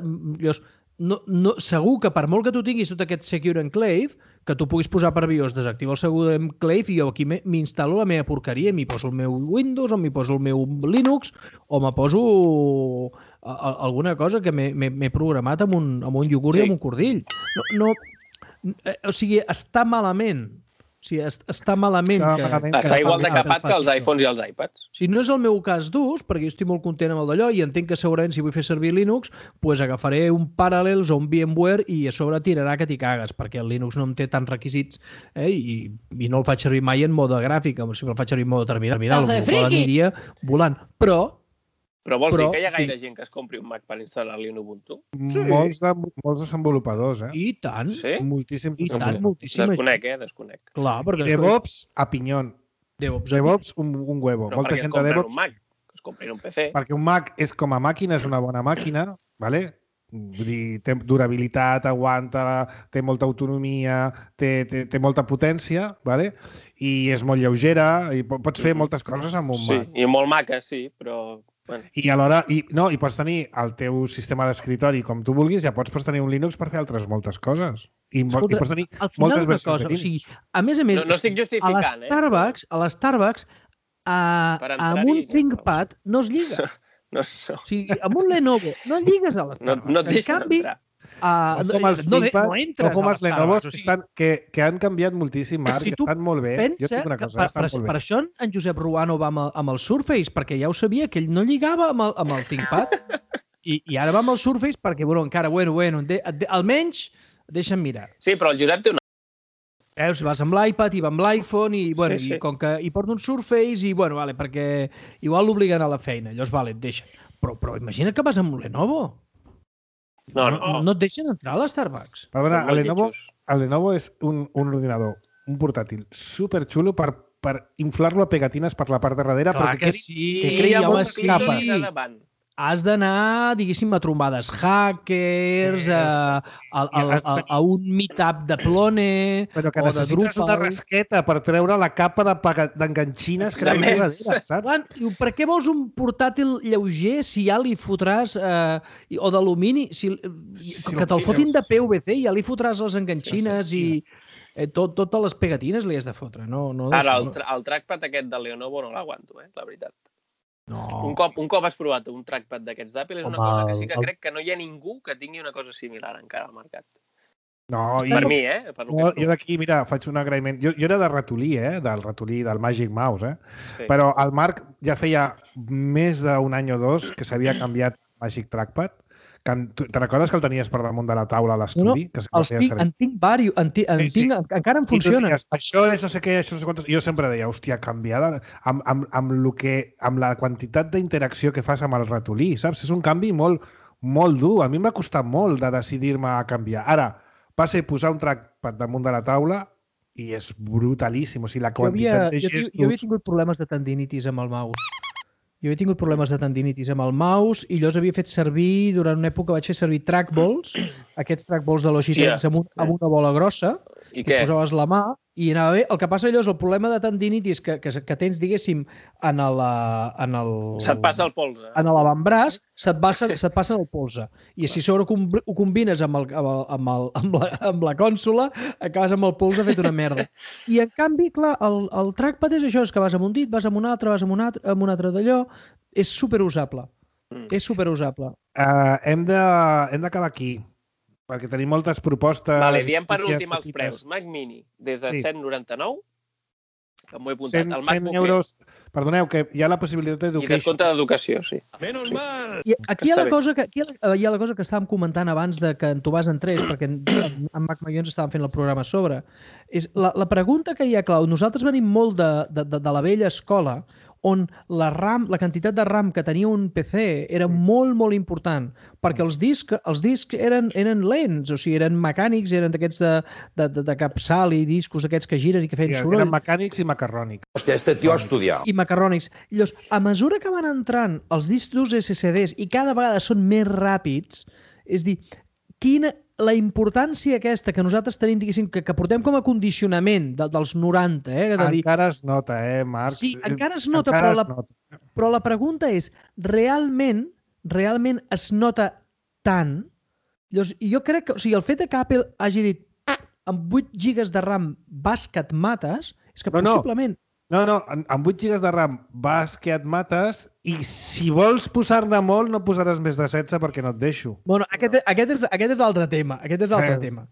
segur que per molt que tu tinguis tot aquest Secure Enclave, que tu puguis posar per BIOS, desactivar el Secure Enclave i jo aquí m'instal·lo la meva porqueria, m'hi poso el meu Windows o m'hi poso el meu Linux o me poso alguna cosa que m'he programat amb un iogurt i amb un cordill. O sigui, està malament. O sigui, està malament. Està igual de capat que els iPhones i els iPads. Si no és el meu cas d'ús, perquè jo estic molt content amb el d'allò i entenc que segurament si vull fer servir Linux, doncs agafaré un Parallels o un VMware i a sobre tirarà que t'hi cagues, perquè el Linux no em té tants requisits i no el faig servir mai en mode gràfic, si el faig servir en mode terminal, aniria volant. Però vols dir que hi ha gaire gent que es compri un Mac per instal·lar-li un Ubuntu? Sí. Molts desenvolupadors, I tant. Sí? Moltíssims. Desconec. Clar, perquè... DevOps a pinyon. DevOps un huevo. Però per què es compren un Mac? Que es comprin un PC. Perquè un Mac és com a màquina, és una bona màquina, ¿vale? Vull dir, té durabilitat, aguanta, té molta autonomia, té molta potència, ¿vale? I és molt lleugera, i pots fer moltes coses amb un Mac. Sí, i molt maca, sí, però... Bueno. I alhora, i pots tenir el teu sistema d'escritori com tu vulguis, ja pots tenir un Linux per fer altres moltes coses. I pots tenir moltes versions de Linux. A més, no estic justificant, a l'Starbucks, amb un ThinkPad no es lliga. O sigui, amb un Lenovo no lligues a l'Starbucks. No et deixen entrar. Com els Lenovo que han canviat moltíssim, Marc, que estan molt bé. Per això en Josep Ruano va amb el Surface, perquè ja ho sabia, que ell no lligava amb el ThinkPad. I ara va amb el Surface perquè, encara, almenys deixa'm mirar. Sí, però el Josep té una... Veus, vas amb l'iPad i va amb l'iPhone i, bueno, Sí. i com que hi porta un Surface i, bueno, vale, perquè igual l'obliguen a la feina. Llavors, vale, et deixen. Però imagina't que vas amb un Lenovo. No et deixen entrar a l'Starbucks. Però, bueno, Són molt lletjos. el Lenovo és un ordinador, un portàtil superxulo per inflar-lo a pegatines per la part de darrere. Clar perquè que sí, que quedi home, moltes sí. capes. A davant. Has d'anar, diguéssim, a trombades hackers, a un meetup de Plone Però que o de necessites una Drupal. rasqueta per treure la capa d'enganxines que Exactament. hi ha darrere, saps? Clar, diu, per què vols un portàtil lleuger si ja li fotràs o d'alumini, que te'l fotin de PVC i ja li fotràs les enganxines i totes les pegatines li has de fotre. No, Ara, d'això, el trackpad aquest de Lenovo no l'aguanto, la veritat. no. Un cop has provat un trackpad d'aquests d'Apple és una Home, cosa que sí que el- crec que no hi ha ningú que tingui una cosa similar encara al mercat. No, Per mi, per lo que jo d'aquí, mira, faig un agraïment. Jo era de ratolí, del ratolí, del Magic Mouse, Sí. Però el Marc ja feia més d'un any o dos que s'havia canviat Magic Trackpad. Te recordes que el tenies per damunt de la taula a l'estudi? Que En tinc diversos, encara em funcionen. Deies, això és no sé què, això no sé quantes... Jo sempre deia, hòstia, canviar amb la quantitat d'interacció que fas amb el ratolí, saps? És un canvi molt dur. A mi m'ha costat molt de decidir-me a canviar. Ara, va ser posar un trackpad damunt de la taula i és brutalíssim. O sigui, la quantitat de gestos... Jo havia tingut problemes de tendinitis amb el mouse. Jo havia tingut problemes de tendinitis amb el mouse i llavors havia fet servir, durant una època vaig fer servir trackballs, aquests trackballs de Logitech amb una bola grossa, I i què? posaves la mà i anava bé. El que passa allò és el problema de tendinitis que tens, diguéssim, en Se't passa el polze. en l'avantbraç, se't passa el polze. I si sobre ho combines amb la cònsola, acabes amb el polze fet una merda. I en canvi, clar, el trackpad és això, és que vas amb un dit, vas amb un altre, vas amb un altre d'allò. És superusable. És superusable. Hem d'acabar aquí, perquè tenim moltes propostes... Vale, diem per notícies últim els petites. preus. Mac Mini, des de Sí. 199, que m'ho he apuntat. 100 El MacBook euros. Perdoneu, que hi ha la possibilitat i d'education. descompte d'educació, sí. I aquí hi ha Està la cosa hi ha la cosa que estàvem comentant abans de que en Tomàs entrés, perquè en Mac Mayons estàvem fent el programa a sobre. És la pregunta que hi ha, Clau, nosaltres venim molt de la vella escola, on la quantitat de RAM que tenia un PC era molt, molt important, perquè els discs eren lents, o sigui, eren mecànics, eren d'aquests de capçal i discos aquests que giren i que feien soroll. Eren mecànics i macarrònics. Hostia, este tío ha estudiado. I macarrònics. Llavors, a mesura que van entrant els discs durs SSDs i cada vegada són més ràpids, és dir, la importància aquesta que nosaltres tenim, diguéssim, que portem com a condicionament dels 90, de dir... Encara es nota, Marc? Sí, encara es nota, però la pregunta és, realment es nota tant? Llavors, jo crec que, o sigui, el fet que Apple hagi dit amb 8 GB de RAM vas que et mates, és que possiblement... No, amb 8 GB de RAM vas que et mates i si vols posar-ne molt no posaràs més de 16 perquè no et deixo. Bueno, aquest és l'altre tema. Aquest és l'altre tema.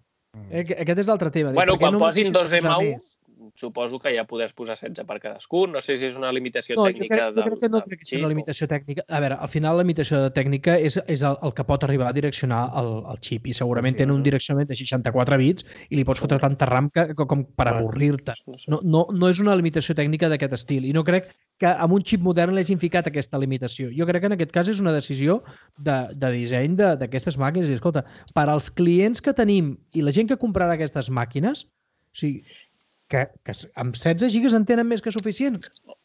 Aquest és l'altre tema. Bueno, quan no posin dos posar M1, més? suposo que ja podràs posar 16 per cadascun. No sé si és una limitació No, tècnica jo crec que no crec que sigui una limitació tècnica. A veure, al final la limitació tècnica és el que pot arribar a direccionar el xip i segurament tenen un direccionament de 64 bits i li pots fotre tanta RAM com per avorrir-te. No és una limitació tècnica d'aquest estil i no crec que amb un xip modern l'hagin ficat aquesta limitació. Jo crec que en aquest cas és una decisió de disseny d'aquestes màquines. I escolta, per als clients que tenim i la gent que comprarà aquestes màquines, o sigui, que amb 16 gigas en tenen més que suficient. O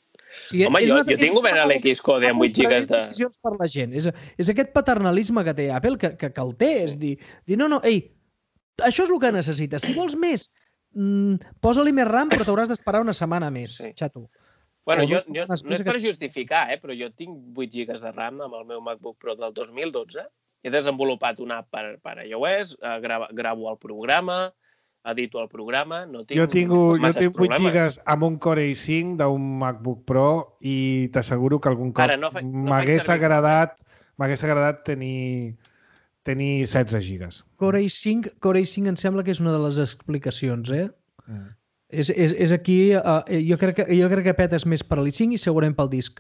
sigui, Home, jo tinc obert l'Xcode amb 8 gigas de... decisions per la gent. És aquest paternalisme que té Apple que el té. És dir, no, això és el que necessites. Si vols més, posa-li més RAM, però t'hauràs d'esperar una setmana més, xato. Bueno, no és per justificar, però jo tinc 8 gigas de RAM amb el meu MacBook Pro del 2012. He desenvolupat una app per iOS, gravo el programa, edito el programa, no tinc jo tinc 8 problemes. gigas amb un Core i5 d'un MacBook Pro i t'asseguro que algun cop m'hagués agradat tenir 16 gigas. Core i5 em sembla que és una de les explicacions, És aquí, jo crec que petes més per l'i5 i segurament pel disc.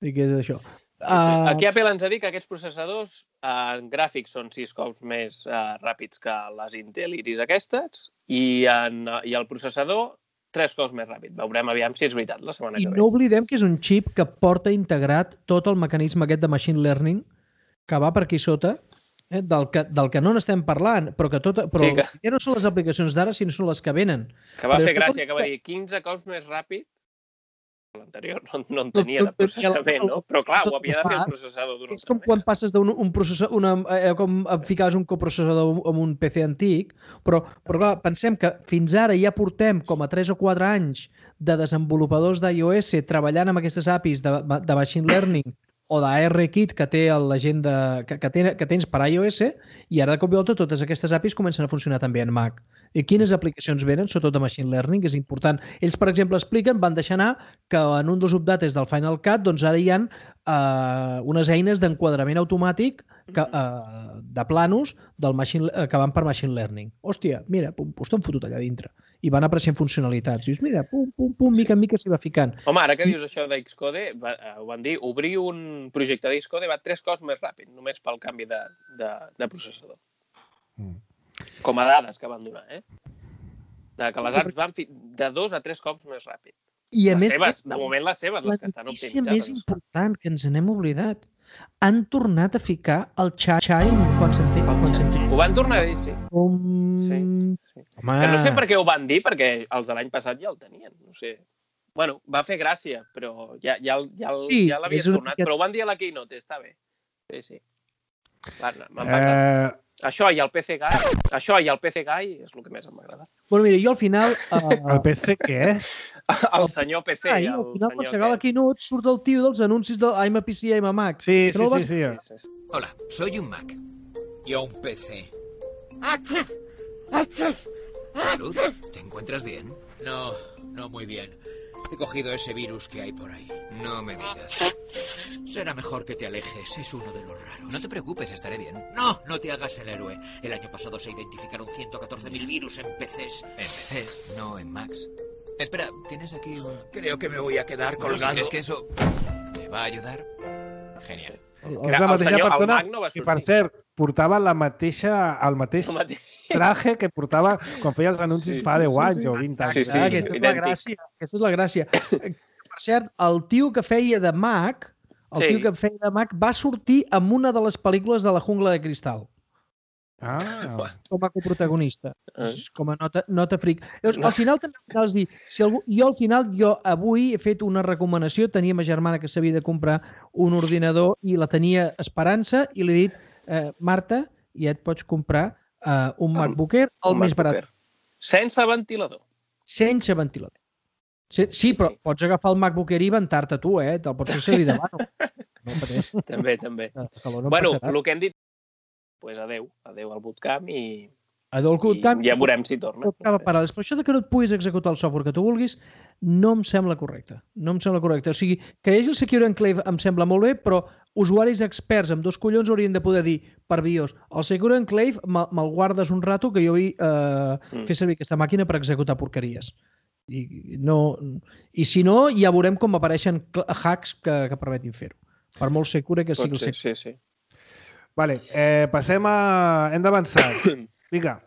I que és això. Aquí Apple ens ha dit que aquests processadors en gràfics són 6 cops més ràpids que les Intel Iris aquestes i el processador 3 cops més ràpid. Veurem aviam si és veritat la setmana que ve. I no oblidem que és un xip que porta integrat tot el mecanisme aquest de machine learning que va per aquí sota, del que no n'estem parlant, però ja no són les aplicacions d'ara, sinó són les que venen. Que va fer gràcia, que va dir 15 cops més ràpid. L'anterior no en tenia de processament, no? Però clar, ho havia de fer el processador d'una altra manera. És com quan passes d'un processador, com ficaves un coprocessador amb un PC antic, però clar, pensem que fins ara ja portem com a 3 o 4 anys de desenvolupadors d'iOS treballant amb aquestes APIs de machine learning o d'ARKit que té la gent que tens per iOS i ara de cop i volta totes aquestes APIs comencen a funcionar també en Mac. I quines aplicacions venen, sobretot de machine learning, que és important. Ells, per exemple, expliquen, van deixar anar que en un dels updates del Final Cut doncs ara hi ha unes eines d'enquadrament automàtic de planos que van per machine learning. Hòstia, mira, pues t'han fotut allà dintre. I van apareixent funcionalitats. Dius, mira, pum, mica en mica s'hi va ficant. Home, ara que dius això d'Xcode, ho van dir, obrir un projecte d'Xcode va 3 cops més ràpid, només pel canvi de processador. Com a dades que van donar, que les apps van de 2 a 3 cops més ràpid. I a més, de moment les seves, les que estan optimitzades. La notícia més important, que ens n'hem oblidat, han tornat a ficar el Chime quan sentim. Ho van tornar a dir, sí. Sí. Que no sé per què ho van dir, perquè els de l'any passat ja el tenien. No sé. Bueno, va fer gràcia, però ja l'havies tornat. Però ho van dir a la Keynote, està bé. Sí. Això i el PC Guy és el que més m'agrada. Bueno, mira, jo al final... El PC què? El senyor PC. Al final, quan s'acaba la Keynote, surt el tio dels anuncis del I'm a PC, I'm a Mac. Sí. Hola, soy un Mac. Yo un PC. Salud, ¿te encuentras bien? No muy bien. He cogido ese virus que hay por ahí. No me digas. Será mejor que te alejes, es uno de los raros. No te preocupes, estaré bien. No te hagas el héroe. El año pasado se identificaron 114.000 virus en PCs. ¿En PCs? No en Macs. Espera, ¿tienes aquí un...? Creo que me voy a quedar colgado. ¿Crees que eso te va a ayudar? Genial. És la mateixa persona que, per cert, portava el mateix traje que portava quan feia els anuncis fa 10 anys o 20 anys. Sí, aquesta és la gràcia. Per cert, el tio que feia de Mac, va sortir en una de les pel·lícules de La jungla de cristal. Com a coprotagonista, com a nota fric. Al final també cal dir, jo avui he fet una recomanació, tenia ma germana que s'havia de comprar un ordinador i la tenia esperança i li he dit, Marta, ja et pots comprar un MacBook Air, el més barat. Sense ventilador. Sense ventilador. Sí, però pots agafar el MacBook Air i ventar-te tu, te'l pots fer servir de mano. També. Bueno, el que hem dit, pues adeu al bootcamp i ja veurem si torna. Però això que no et puguis executar el software que tu vulguis no em sembla correcte. O sigui, que hi hagi el Secure Enclave em sembla molt bé, però usuaris experts amb 2 collons haurien de poder dir per BIOS, el Secure Enclave me'l guardes un rato que jo vull fer servir aquesta màquina per executar porqueries. I si no, ja veurem com apareixen hacks que permetin fer-ho. Per molt secure que sigui el secure. Sí. Vale, passem a... Hem d'avançar. Vinga.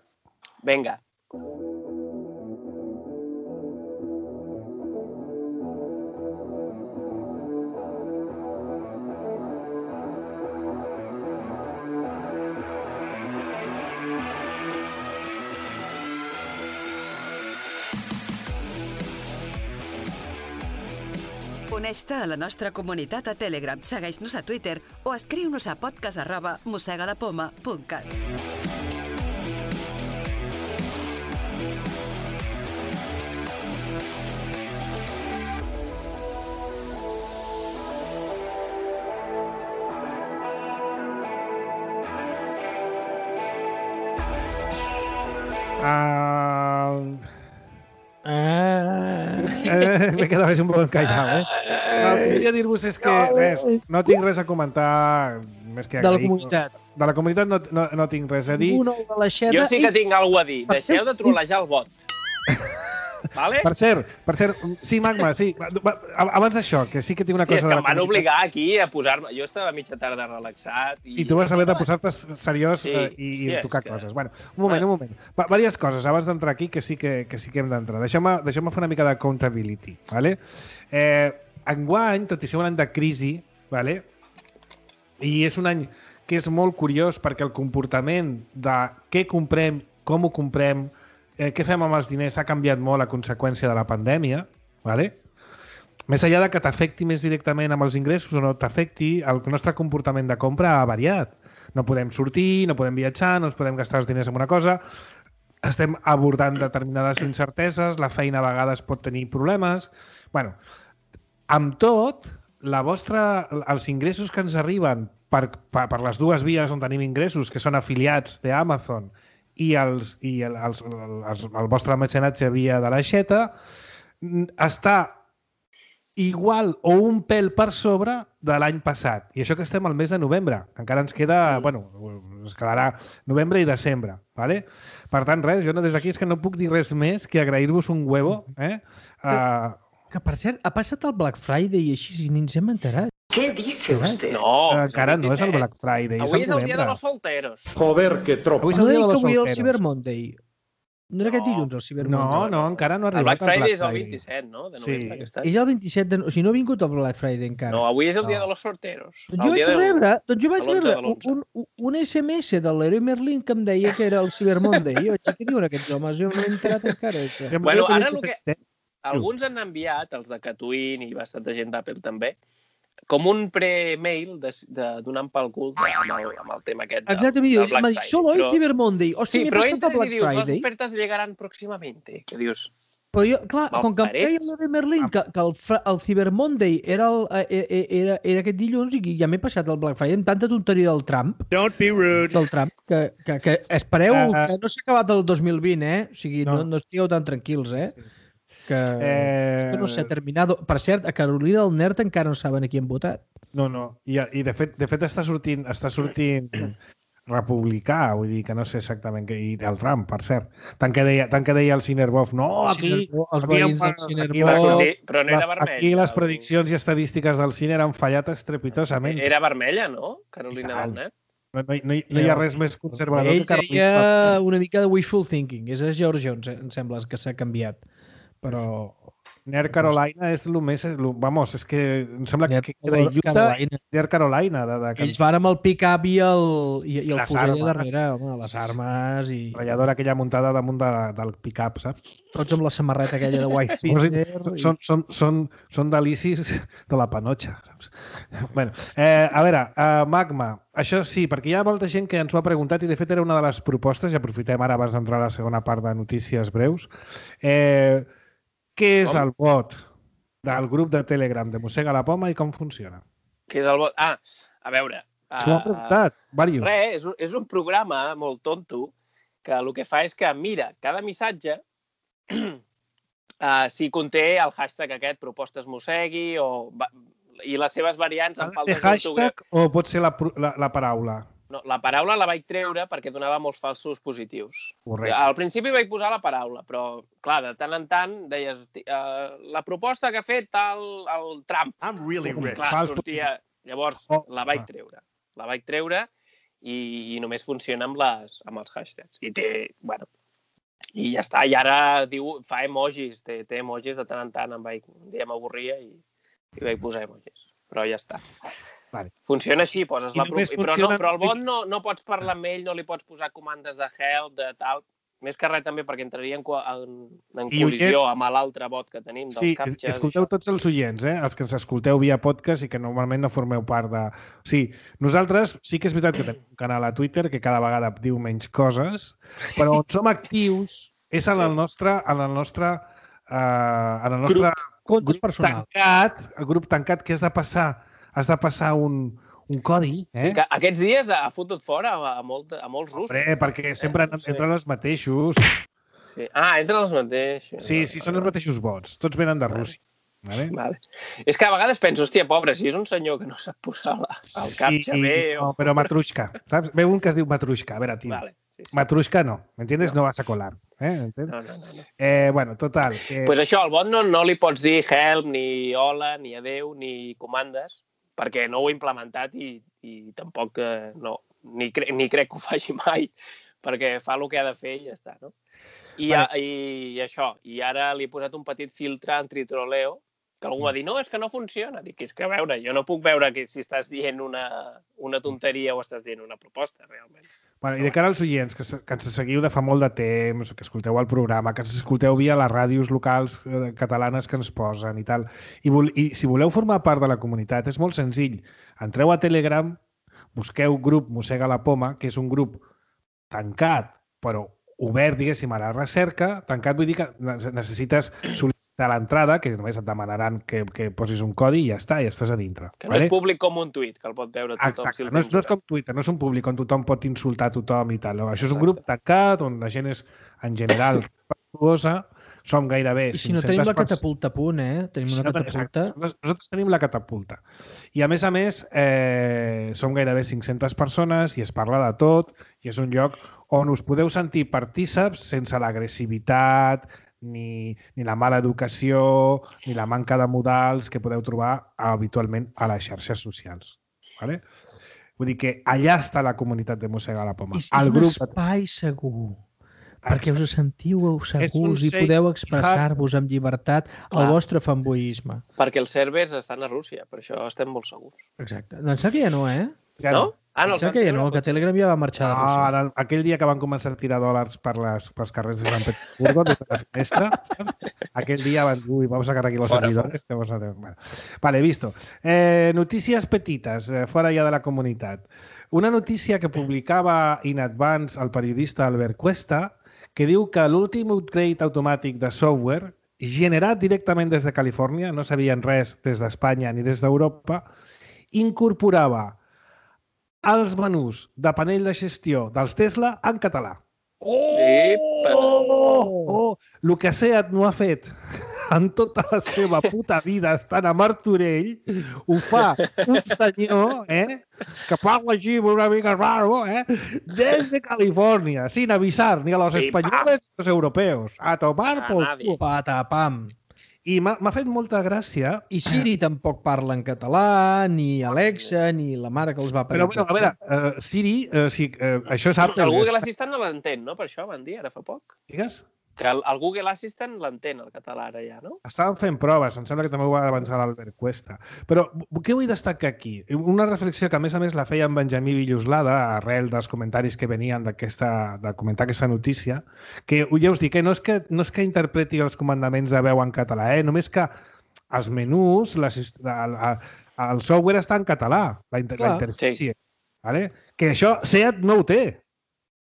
Uneix-te a la nostra comunitat a Telegram, segueix-nos a Twitter o escriu-nos a podcast@mossegadapoma.cat. Me quedava un poc encallat, El que volia dir-vos és que no tinc res a comentar més que de la comunitat. De la comunitat no tinc res a dir. Jo sí que tinc alguna a dir. Deixeu de trolejar el bot. vale? Per cert, sí, Magma, sí. Abans d'això, que sí que tinc una cosa... És que em van obligar aquí a posar-me... Jo estava a mitja tarda relaxat i... I tu vas haver de posar-te seriós i tocar coses. Bueno, un moment. Vàries coses abans d'entrar aquí que sí que hem d'entrar. Deixeu-me fer una mica d'accountability, ¿vale? Enguany, tot i ser un any de crisi, ¿vale? I és un any que és molt curiós perquè el comportament de què comprem, com ho comprem, què fem amb els diners ha canviat molt a conseqüència de la pandèmia, ¿vale? Més enllà de que t'afecti més directament amb els ingressos o no t'afecti, el nostre comportament de compra ha variat. No podem sortir, no podem viatjar, no ens podem gastar els diners en una cosa, estem abordant determinades incerteses, la feina a vegades pot tenir problemes... Bueno, amb tot, els ingressos que ens arriben per les dues vies on tenim ingressos, que són afiliats d'Amazon i el vostre mecenatge via de l'aixeta, està igual o un pèl per sobre de l'any passat. I això que estem al mes de novembre. Encara ens queda... Bueno, ens quedarà novembre i desembre. ¿Vale? Per tant, res, jo des d'aquí és que no puc dir res més que agrair-vos un huevo. Que, per cert, ha passat el Black Friday i així ni ens hem enterat. ¿Qué dice usted? No, encara no és el Black Friday. Avui és el dia de los solteros. Joder, que tropa. Avui és No el dia deia de que los avui era el solteros. Cyber Monday. No era aquest dilluns, el Cyber Monday? No, encara no ha El arribat Black Friday és el 27, no? De novembre, aquest any. És el 27 de... O sigui, no ha vingut el Black Friday encara. No, avui és el dia de los sorteros. Doncs jo vaig rebre l'11 un SMS de l'Heroi Merlin que em deia que era el Cyber Monday. I jo vaig dir, què diuen aquests homes? Jo no m'he enterat encara. Bueno, ara el que... Alguns han enviat, els de Catwin i bastanta gent d'Apple també, com un pre-mail donant pel cul amb el tema aquest del Black Friday. Exacte, solo el Cyber Monday. Sí, però entres i dius, les ofertes llegaran pròximamente. Que dius... Però jo, clar, com que em deia l'Heroi Merlin que el Cyber Monday era aquest dilluns i ja m'he passat el Black Friday amb tanta tonteria del Trump. Don't be rude. Del Trump, que espereu que no s'ha acabat el 2020, O sigui, no estigueu tan tranquils, Sí. Que no s'ha terminat. Per cert, a Carolina del Nord encara no saben a qui han votat. No. I de fet està sortint republicà, vull dir que no sé exactament què... I el Trump, per cert. Tant que deia el Cinerbov, no, aquí... Els veïns del Cinerbov... Però no era vermella. Aquí les prediccions i estadístiques del cine han fallat estrepitosament. Era vermella, no? Carolina del Nord. No hi ha res més conservador que Carolina. Ell deia una mica de wishful thinking. És a George Jones, em sembla, que s'ha canviat. Però... North Carolina és el més... Vamos, és que em sembla que era Utah i North Carolina. Ells van amb el pick-up i el fusell a darrere, home, les armes i... Ratlladora aquella muntada damunt del pick-up, saps? Tots amb la samarreta aquella de White Peter. Són delicis de la panotxa, saps? Bueno, a veure, Magma, això sí, perquè hi ha molta gent que ens ho ha preguntat i de fet era una de les propostes, i aprofitem ara abans d'entrar a la segona part de notícies breus. Què és el bot del grup de Telegram de Mossega la Poma i com funciona? Què és el bot? Ah, a veure... S'ho han preguntat, diversos. Res, és un programa molt tonto que el que fa és que mira cada missatge si conté el hashtag aquest, propostes mossegui, i les seves variants en faltes d'ortografia. Hashtag o pot ser la paraula? No, la paraula la vaig treure perquè donava molts falsos positius. Correcte. Al principi vaig posar la paraula, però, clar, de tant en tant deies la proposta que ha fet el Trump. I'm really rich. Clar, sortia... Llavors, la vaig treure. La vaig treure i només funciona amb els hashtags. I té, bueno... I ja està. I ara fa emojis. Té emojis de tant en tant. Un dia m'avorria i vaig posar emojis. Però ja està. Vale. Funciona així, poses la però el bot no pots parlar amb ell, no li pots posar comandes de help, de tal. Més que res també perquè entraria en col·lisió amb l'altre bot que tenim dels captchas. Sí, escolteu tots els oients, els que ens escolteu via podcast i que normalment no formeu part de... Sí, nosaltres sí que és veritat que tenim un canal a Twitter que cada vegada diu menys coses, però on som actius és en el nostre grup tancat que has de passar un codi. Sí, que aquests dies ha fotut fora a molts russos. Perquè sempre entren els mateixos. Sí. Entren els mateixos. Sí, són els mateixos bots. Tots venen de Rússia. Vale. És que a vegades penso, hòstia, pobre, si és un senyor que no sap posar el captcha bé... No, però Matrushka. Saps? Veu un que es diu Matrushka. A veure, tio. Vale. Matrushka no, ¿entiendes? No vas a colar. ¿Entiendes? No. Bueno, total. Pues això, al bot no li pots dir help, ni hola, ni adeu, ni comandes, perquè no ho he implementat i tampoc ni crec que ho faci mai, perquè fa el que ha de fer i ja està, no? I això, i ara li he posat un petit filtre antitroleo, que algú va dir, no, és que no funciona. Dic, és que a veure, jo no puc veure si estàs dient una tonteria o estàs dient una proposta, realment. Bueno, I de cara als oients, que ens seguiu de fa molt de temps, que escolteu el programa, que ens escolteu via les ràdios locals catalanes que ens posen i tal, i si voleu formar part de la comunitat, és molt senzill. Entreu a Telegram, busqueu grup Mossega la Poma, que és un grup tancat, però obert, diguéssim, a la recerca. Tancat vull dir que necessites sol·licitar l'entrada, que només et demanaran que posis un codi i ja està, ja estàs a dintre. Que no és públic com un tuit, que el pot veure tothom. Exacte, no és com Twitter, no és un públic on tothom pot insultar tothom i tal. Això és un grup tancat, on la gent és, en general, respectuosa. Som gairebé 500 I si no tenim la catapulta a punt, Tenim una catapulta. Nosaltres tenim la catapulta. I a més, som gairebé 500 persones i es parla de tot i és un lloc on us podeu sentir partíceps sense l'agressivitat, ni la mala educació, ni la manca de modals que podeu trobar habitualment a les xarxes socials. Vale? Vull dir que allà està la comunitat de Mossega la Poma. És un espai segur. Perquè us sentiu segurs i podeu expressar-vos amb llibertat el vostre fanboisme. Perquè els servers estan a Rússia, per això estem molt segurs. Exacte. Em sembla que ja no, Ja no? Em sembla que ja no, que Telegram ja va marxar de Rússia. Aquell dia que van començar a tirar dòlars pels carrers de Sant Petersburgo, des de la finestra, aquell dia van dir, vamos a cargar aquí los servidores. Vale, visto. Noticias petites, fora ja de la comunitat. Una notícia que publicava in advance el periodista Albert Cuesta, que diu que l'últim upgrade automàtic de software generat directament des de Califòrnia, no sabien res des d'Espanya ni des d'Europa, incorporava els menús de panell de gestió dels Tesla en català. El que Seat no ha fet en tota la seva puta vida estant a Martorell, ho fa un senyor que parla així una mica raro, des de Califòrnia, sin avisar ni a los españoles ni a los europeos. A tomar por culo. Patapam. I m'ha fet molta gràcia. I Siri tampoc parla en català, ni Alexa, ni la mare que els va parir. Però, a veure, Siri, això és Apple. El Google Assistant no l'entén, no? Per això van dir ara fa poc. Digues? Que el Google Assistant l'entén, el català, ara ja, no? Estàvem fent proves, em sembla que també ho va avançar l'Albert Cuesta. Però què vull destacar aquí? Una reflexió que, a més, feia en Benjamí Villoslada, arrel dels comentaris que venien de comentar aquesta notícia, que ja us dic, no és que interpreti els comandaments de veu en català, només que els menús, el software està en català, la interfície. Que això Seat no ho té.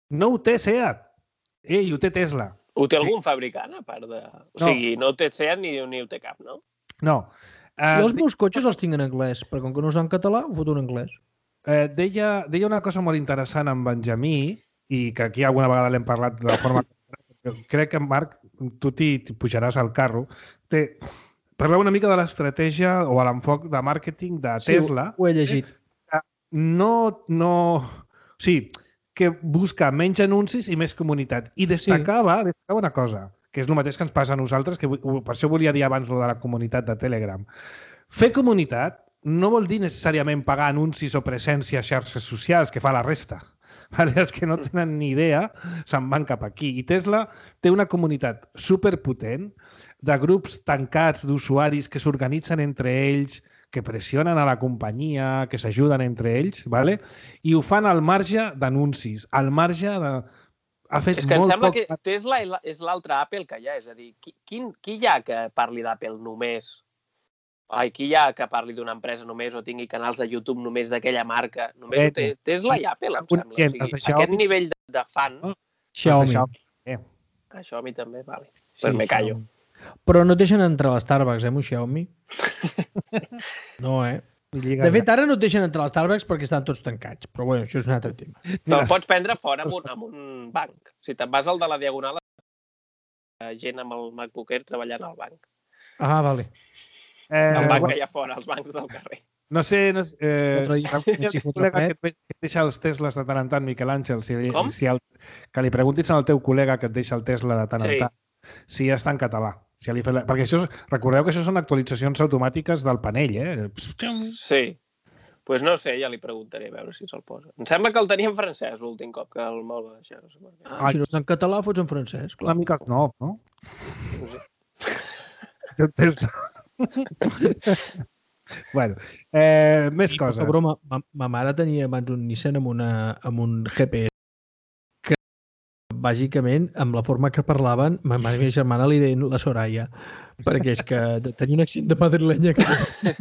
No ho té Seat. I ho té Tesla. Ho té algun fabricant, a part de... O sigui, no ho té Seat ni ho té cap, no? No. Jo els meus cotxes els tinc en anglès, perquè com que no és en català, ho foto en anglès. Deia una cosa molt interessant en Benjamí, i que aquí alguna vegada l'hem parlat de forma... Crec que, Marc, tu t'hi pujaràs al carro. Parlar una mica de l'estratègia o l'enfoc de màrqueting de Tesla. Sí, ho he llegit. Sí, que busca menys anuncis i més comunitat. I destacava una cosa, que és el mateix que ens passa a nosaltres, que per això volia dir abans de la comunitat de Telegram. Fer comunitat no vol dir necessàriament pagar anuncis o presència a xarxes socials, que fa la resta. Els que no tenen ni idea se'n van cap aquí. I Tesla té una comunitat superpotent de grups tancats d'usuaris que s'organitzen entre ells, que pressionen a la companyia, que s'ajuden entre ells, i ho fan al marge d'anuncis, al marge de... És que em sembla que Tesla és l'altre Apple que hi ha, és a dir, qui hi ha que parli d'Apple només? Qui hi ha que parli d'una empresa només o tingui canals de YouTube només d'aquella marca? Només ho té Tesla i Apple, em sembla. O sigui, aquest nivell de fan... Xiaomi. Xiaomi també, vale. Pues me callo. Però no et deixen entrar a l'Starbucks, amb un Xiaomi? No, De fet, ara no et deixen entrar a l'Starbucks perquè estan tots tancats. Però bueno, això és un altre tema. Te'l pots prendre fora amb un banc. Si te'n vas al de la Diagonal, gent amb el MacBook Air treballant al banc. Ah, vale. El banc que hi ha fora, els bancs del carrer. No sé... L'altre dia vaig fotre col·lega fred. que et deixa els Teslas de tant en tant, Miquel Àngel, Com? que li preguntis al teu col·lega que et deixa el Tesla de tant en Sí. tant, si està en català. Si perquè això recordeu que això són actualitzacions automàtiques del panell, eh? Sí. Pues no sé, ja li preguntaré a veure si se'l posa. Em sembla que el tenia en francès l'últim cop que el me'l va deixar. No sé per què. Si no està en català, fots en francès, clar. Una mica snob, no? Bueno, més coses. Però ma mare tenia abans un Nissan amb un GPS que, bàsicament, amb la forma que parlaven, ma mare i ma germana li deien la Soraya, perquè és que tenia un accent de madrilenya que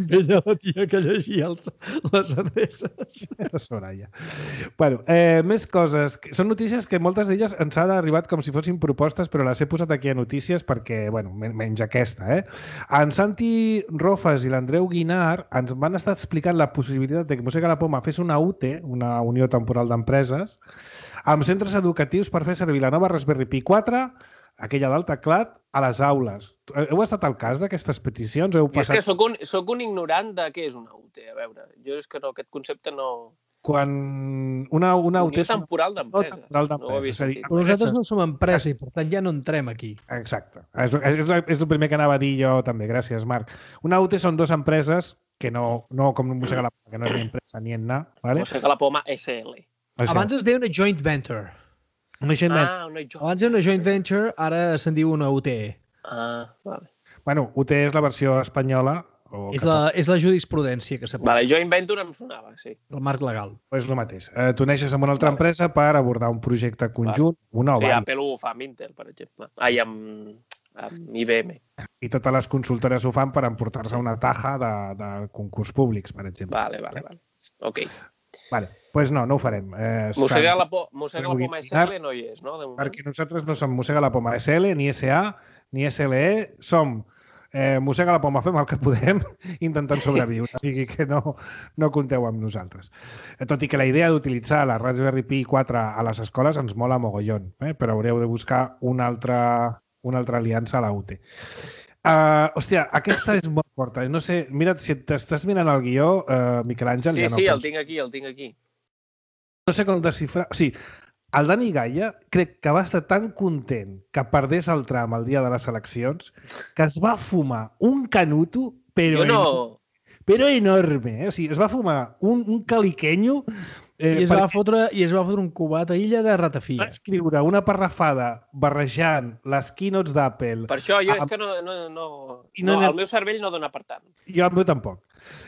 veia la tia que llegia les adreces. La Soraya. Bueno, més coses. Són notícies que moltes d'elles ens han arribat com si fossin propostes, però les he posat aquí a notícies perquè, bueno, menys aquesta, En Santi Rofas i l'Andreu Guinar ens van estar explicant la possibilitat de que Mossega la Poma fes una UTE, una Unió Temporal d'Empreses, amb centres educatius per fer servir la nova Raspberry Pi 4, aquella del teclat, a les aules. Heu estat al cas d'aquestes peticions? Heu passat... És que soc un ignorant de què és una UTE. A veure, jo és que no, aquest concepte no... Quan una Unió UTE... temporal d'empreses. No Però nosaltres no som empresa i, per tant, ja no entrem aquí. Exacte. És el primer que anava a dir jo també. Gràcies, Marc. Una UTE són dues empreses que no com Mossega la Poma, que no és ni empresa ni en anar. ¿Vale? Mossega la Poma SL. Abans es deia una joint venture. Una joint venture. Abans era una joint venture, ara se'n diu una UTE. Vale. Bueno, UTE és la versió espanyola. És la jurisprudència que s'aplica. Vale, joint venture em sonava, sí. El marc legal. És el mateix. Tu neixes amb una altra empresa per abordar un projecte conjunt. Sí, Apple ho fa amb Intel, per exemple. Amb IBM. I totes les consultores ho fan per emportar-se una taja de concurs públics, per exemple. Vale. Ok. Vale, pues no ho farem. Mossega la Poma SL no hi és, no? Perquè nosaltres no som Mossega la Poma SL, ni SA, ni SLE, som Mossega la Poma, fem el que podem intentant sobreviure, o sigui que no compteu amb nosaltres. Tot i que la idea d'utilitzar la Raspberry Pi 4 a les escoles ens mola mogollon, però haureu de buscar una altra aliança a la UTE. Hòstia, aquesta és molt forta. No sé, mira't, si t'estàs mirant el guió, Miquel Àngel... Sí, el tinc aquí. No sé com desxifrar... O sigui, el Dani Gaia crec que va estar tan content que perdés el tram el dia de les eleccions que es va fumar un canuto, però enorme. O sigui, es va fumar un caliquenyo... I es va fotre un cubat a illa de ratafia. Va escriure una parrafada barrejant les keynotes d'Apple... Per això jo és que el meu cervell no dona per tant. Jo el meu tampoc.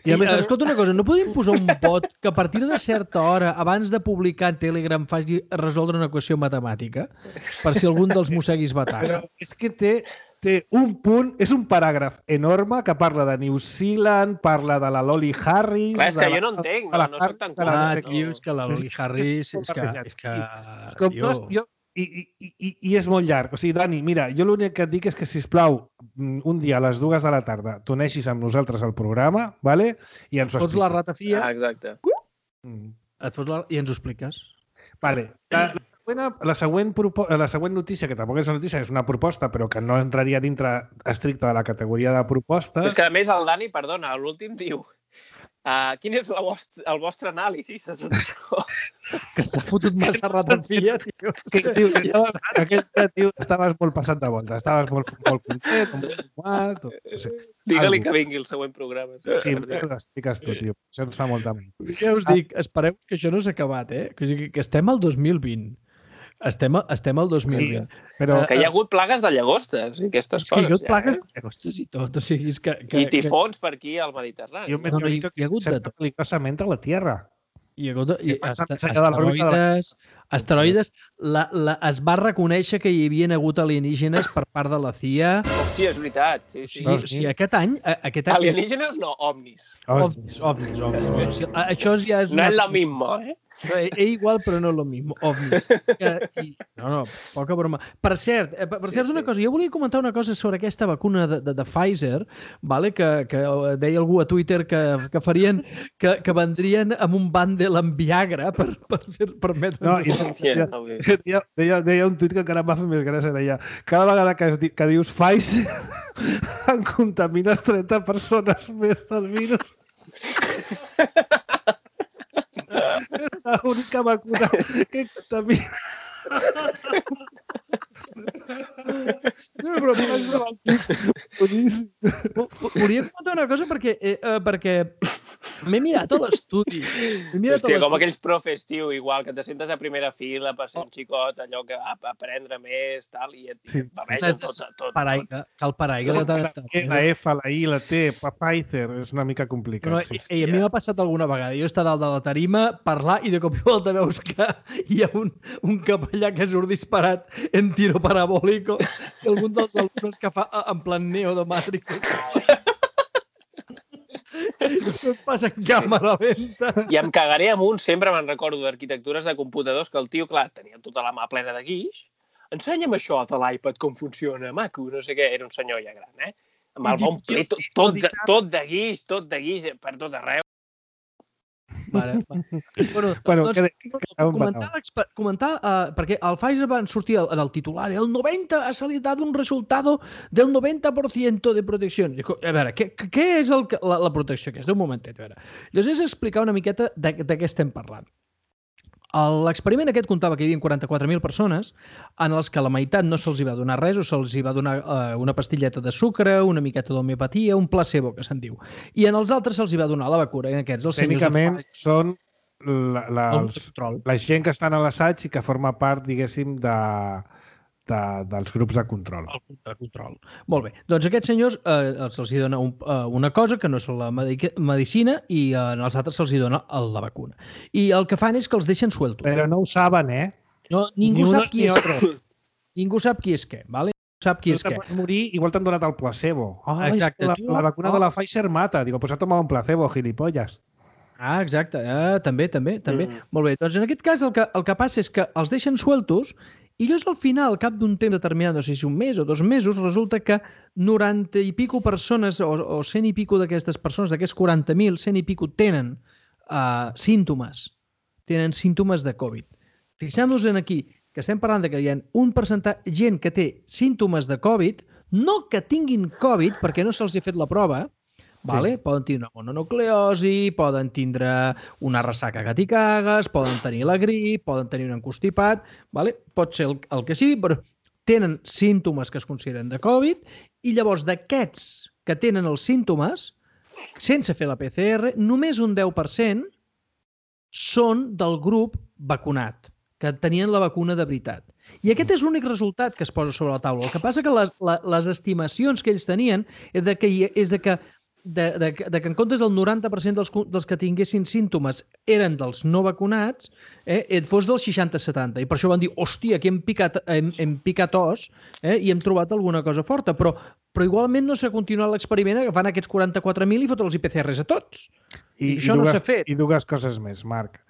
Escolta una cosa, no podem posar un bot que a partir de certa hora, abans de publicar en Telegram, faci resoldre una equació matemàtica per si algun dels mosseguis va tard? Però és que té un punt, és un paràgraf enorme que parla de New Zealand, parla de la Loli Harris... Clar, és que jo no entenc, no soc tan clar. Tio, és que la Loli Harris... I és molt llarg. O sigui, Dani, mira, jo l'únic que et dic és que, sisplau, un dia a les 2 de la tarda t'uneixis amb nosaltres al programa, ¿vale? I ens ho expliques. Fots la ratafia... exacte. I ens ho expliques. Vale. La següent notícia, que tampoc és una notícia, és una proposta, però que no entraria dintre estricta de la categoria de propostes... És que, a més, el Dani, perdona, l'últim diu quin és el vostre anàlisi de tot això? Que s'ha fotut massa ratafia, tio. Aquest tio, estaves molt passat de volta, estaves molt content, molt fumat... Digue-li que vingui el següent programa. Sí, ho expliques tu, tio. Això ens fa molta ment. Ja us dic, espereu que això no s'ha acabat, que estem al 2020. Estem al 2020. Sí, però... Que hi ha hagut plagues de llagostes i aquestes coses. Hi ha hagut plagues de llagostes i tot. O sigui, I tifons per aquí al Mediterrani. Jo m'he dit que s'ha peligrosament a la Tierra. Hi ha hagut asteroides. Es va reconèixer que hi havia hagut alienígenes per part de la CIA. Hòstia, és veritat. Sí, aquest any... Alienígenes no, ovnis. Ovnis. Això ja és... No és lo mismo, igual, però no és lo mismo. Ovnis. No, poca broma. Per cert, una cosa, jo volia comentar una cosa sobre aquesta vacuna de Pfizer, que deia algú a Twitter que farien, que vendrien amb un bàndel amb Viagra per permetre'ns... Deia un tuit que encara em va fer més gràcia, deia cada vegada que dius Pfizer en contamines 30 persones més del virus. L'única vacuna que contamina. No, però volia comentar una cosa perquè m'he mirat a l'estudi. Hòstia, com aquells profes, tio, igual, que te sentes a primera fila per ser un xicot, allò que va aprendre més, tal, i et beveixes tot. Cal paraigua. La F, la I, la T, Pfizer, és una mica complicat. A mi m'ha passat alguna vegada. Jo estar dalt de la tarima, parlar, i de cop i volta veus que hi ha un capellà que surt disparat en tiro parabòlico i algun dels alumnes que fa en plan Neo de Matrix. Et passa en càmera lenta. I em cagaré amunt, sempre me'n recordo d'arquitectures de computadors que el tio, clar, tenia tota la mà plena de guix. Ensenya'm això de l'iPad, com funciona, maco, no sé què. Era un senyor ja gran, eh? Amb el bon ple, tot de guix, per tot arreu. Vale. Bueno, comentar, perquè al Pfizer van sortir en el titular, ha salido un resultado del 90% de protección. A veure, què és la protecció aquesta? Un momentet, a veure. Llavors és explicar una miqueta de què estem parlant. L'experiment aquest comptava que hi havia 44.000 persones en els que la meitat no se'ls va donar res o se'ls va donar una pastilleta de sucre, una miqueta d'homeopatia, un placebo, que se'n diu. I en els altres se'ls va donar la vacuna. Tècnicament són la gent que estan a l'assaig i que forma part, diguéssim, dels grups de control. El grup de control. Molt bé. Doncs aquests senyors se'ls dona una cosa que no és la medicina i als altres se'ls dona la vacuna. I el que fan és que els deixen sueltos. Però no ho saben, eh? No, ningú sap qui és què. Ningú sap qui és què, ¿vale? Sap qui és què. Pots morir, igual t'han donat el placebo. Exacte. La vacuna de la Pfizer mata. Digo, pues ha tomat un placebo, gilipollas. Ah, exacte. També. Molt bé. Doncs en aquest cas el que passa és que els deixen sueltos i llavors al final, al cap d'un temps determinat, no sé si un mes o 2 mesos, resulta que 90 i pico persones o 100 i pico d'aquestes persones, d'aquests 40.000, 100 i pico tenen símptomes. Tenen símptomes de Covid. Fixem-nos en aquí, que estem parlant que hi ha un percentatge de gent que té símptomes de Covid, no que tinguin Covid, perquè no se'ls ha fet la prova, vale? Poden tenir una mononucleosi, poden tindre una ressaca que t'hi cagues, poden tenir la grip, poden tenir un encostipat, vale? Pot ser el que sigui, però tenen símptomes que es consideren de Covid i llavors d'aquests que tenen els símptomes, sense fer la PCR, només un 10% són del grup vacunat, que tenien la vacuna de veritat. I aquest és l'únic resultat que es posa sobre la taula. El que passa que les estimacions que ells tenien és de que en comptes del 90% dels que tinguessin símptomes eren dels no vacunats, fos del 60-70. I per això van dir, hòstia, aquí hem picat os i hem trobat alguna cosa forta. Però igualment no s'ha continuat l'experiment agafant aquests 44.000 i fotre'ls IPCRs a tots. I això no s'ha fet. I dues coses més, Marc.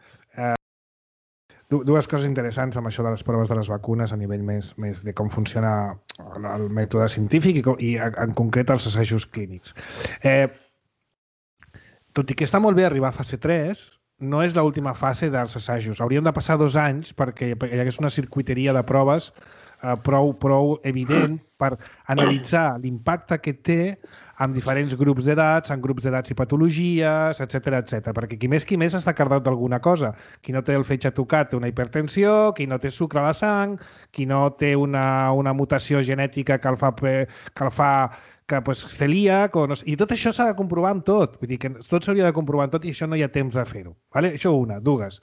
Dues coses interessants amb això de les proves de les vacunes a nivell més de com funciona el mètode científic i en concret els assajos clínics. Tot i que està molt bé arribar a fase 3, no és l'última fase dels assajos. Haurien de passar 2 anys perquè hi hagués una circuiteria de proves prou evident per analitzar l'impacte que té en diferents grups d'edats, en grups d'edats i patologies, etc. Perquè qui més està cardat d'alguna cosa. Qui no té el fetge tocat té una hipertensió, qui no té sucre a la sang, qui no té una mutació genètica que el fa celíac, i tot això s'ha de comprovar amb tot. Vull dir que tot s'hauria de comprovar amb tot i això no hi ha temps de fer-ho. Això una. Dues.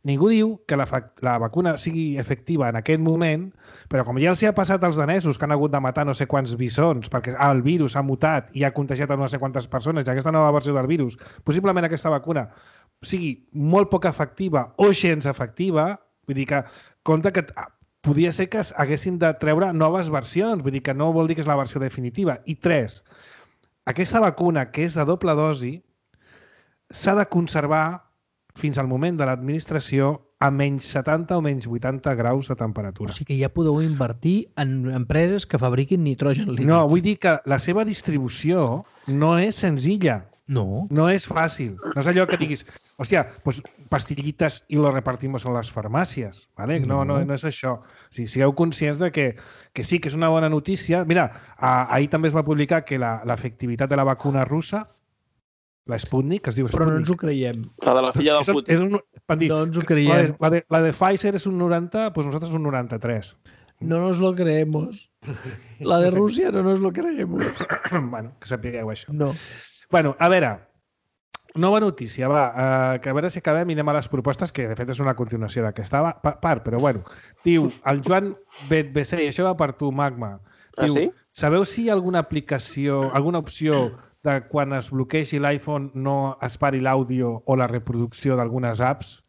Ningú diu que la vacuna sigui efectiva en aquest moment, però com ja els ha passat als danesos que han hagut de matar no sé quants bisons perquè el virus ha mutat i ha contagiat a no sé quantes persones i aquesta nova versió del virus, possiblement aquesta vacuna sigui molt poc efectiva o gens efectiva, vull dir que compte que podia ser que haguessin de treure noves versions, vull dir que no vol dir que és la versió definitiva. I 3, aquesta vacuna que és de doble dosi s'ha de conservar fins al moment de l'administració a menys 70 o menys 80 graus de temperatura. O sigui que ja podeu invertir en empreses que fabriquin nitrogen líquid. No, vull dir que la seva distribució no és senzilla. No. No és fàcil. No és allò que diguis, hòstia, pues pastillitas y lo repartimos en las farmàcies. ¿Vale? No és això. O sigui, sigueu conscients de que sí, que és una bona notícia. Mira, ahir també es va publicar que l'efectivitat de la vacuna russa La Sputnik, que es diu Sputnik. Però no ens ho creiem. La de la filla del Putin. No ens ho creiem. La de Pfizer és un 90, doncs nosaltres un 93. No nos lo creemos. La de Rússia no nos lo creemos. Bueno, que sapigueu això. No. Bueno, a veure, nova notícia, va, que a veure si acabem i anem a les propostes, que de fet és una continuació d'aquesta part, però bueno. Diu, el Joan BC, i això va per tu, Magma. Diu, sí? Sabeu si hi ha alguna aplicació, alguna opció de quan es bloquegi l'iPhone no es pari l'àudio o la reproducció d'algunes apps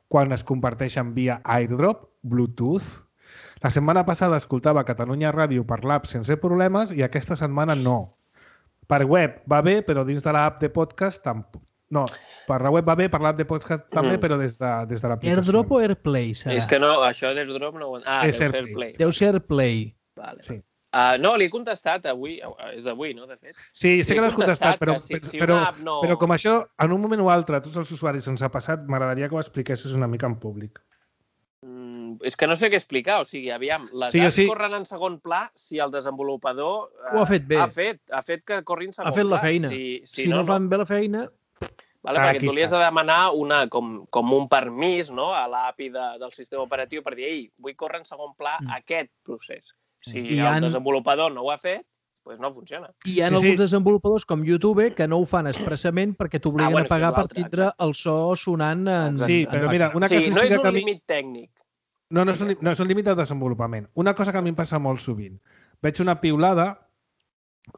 quan es comparteixen via AirDrop, Bluetooth? La setmana passada escoltava Catalunya Ràdio per l'app sense problemes i aquesta setmana no. Per web va bé, però dins de l'app de podcast tampoc. No, per la web va bé, per l'app de podcast també, però des de l'aplicació. AirDrop o AirPlay serà? És que no, això d'AirDrop no... Ah, És deu ser AirPlay. AirPlay. Deu ser AirPlay. Vale. Sí. No, li he contestat avui, és d'avui, no, de fet? Sí, sé que l'has contestat, però, si però, una app no... però com això, en un moment o altre, a tots els usuaris ens ha passat, m'agradaria que ho expliquessis una mica en públic. És que no sé què explicar, o sigui, aviam, les apps corren en segon pla si el desenvolupador ho ha fet bé. Ha fet que corri en segon pla. Ha fet la feina. Si no fan bé la feina... Vale, perquè tu li has de demanar com un permís, no, a l'API del sistema operatiu per dir, ei, vull córrer en segon pla aquest procés. Si el desenvolupador no ho ha fet, doncs no funciona. I hi ha alguns desenvolupadors com YouTube que no ho fan expressament perquè t'obliguen a pagar per tindre el so sonant en... Sí, però mira, una cosa... Sí, no és un límit tècnic. No, no és un límit de desenvolupament. Una cosa que a mi em passa molt sovint. Veig una piulada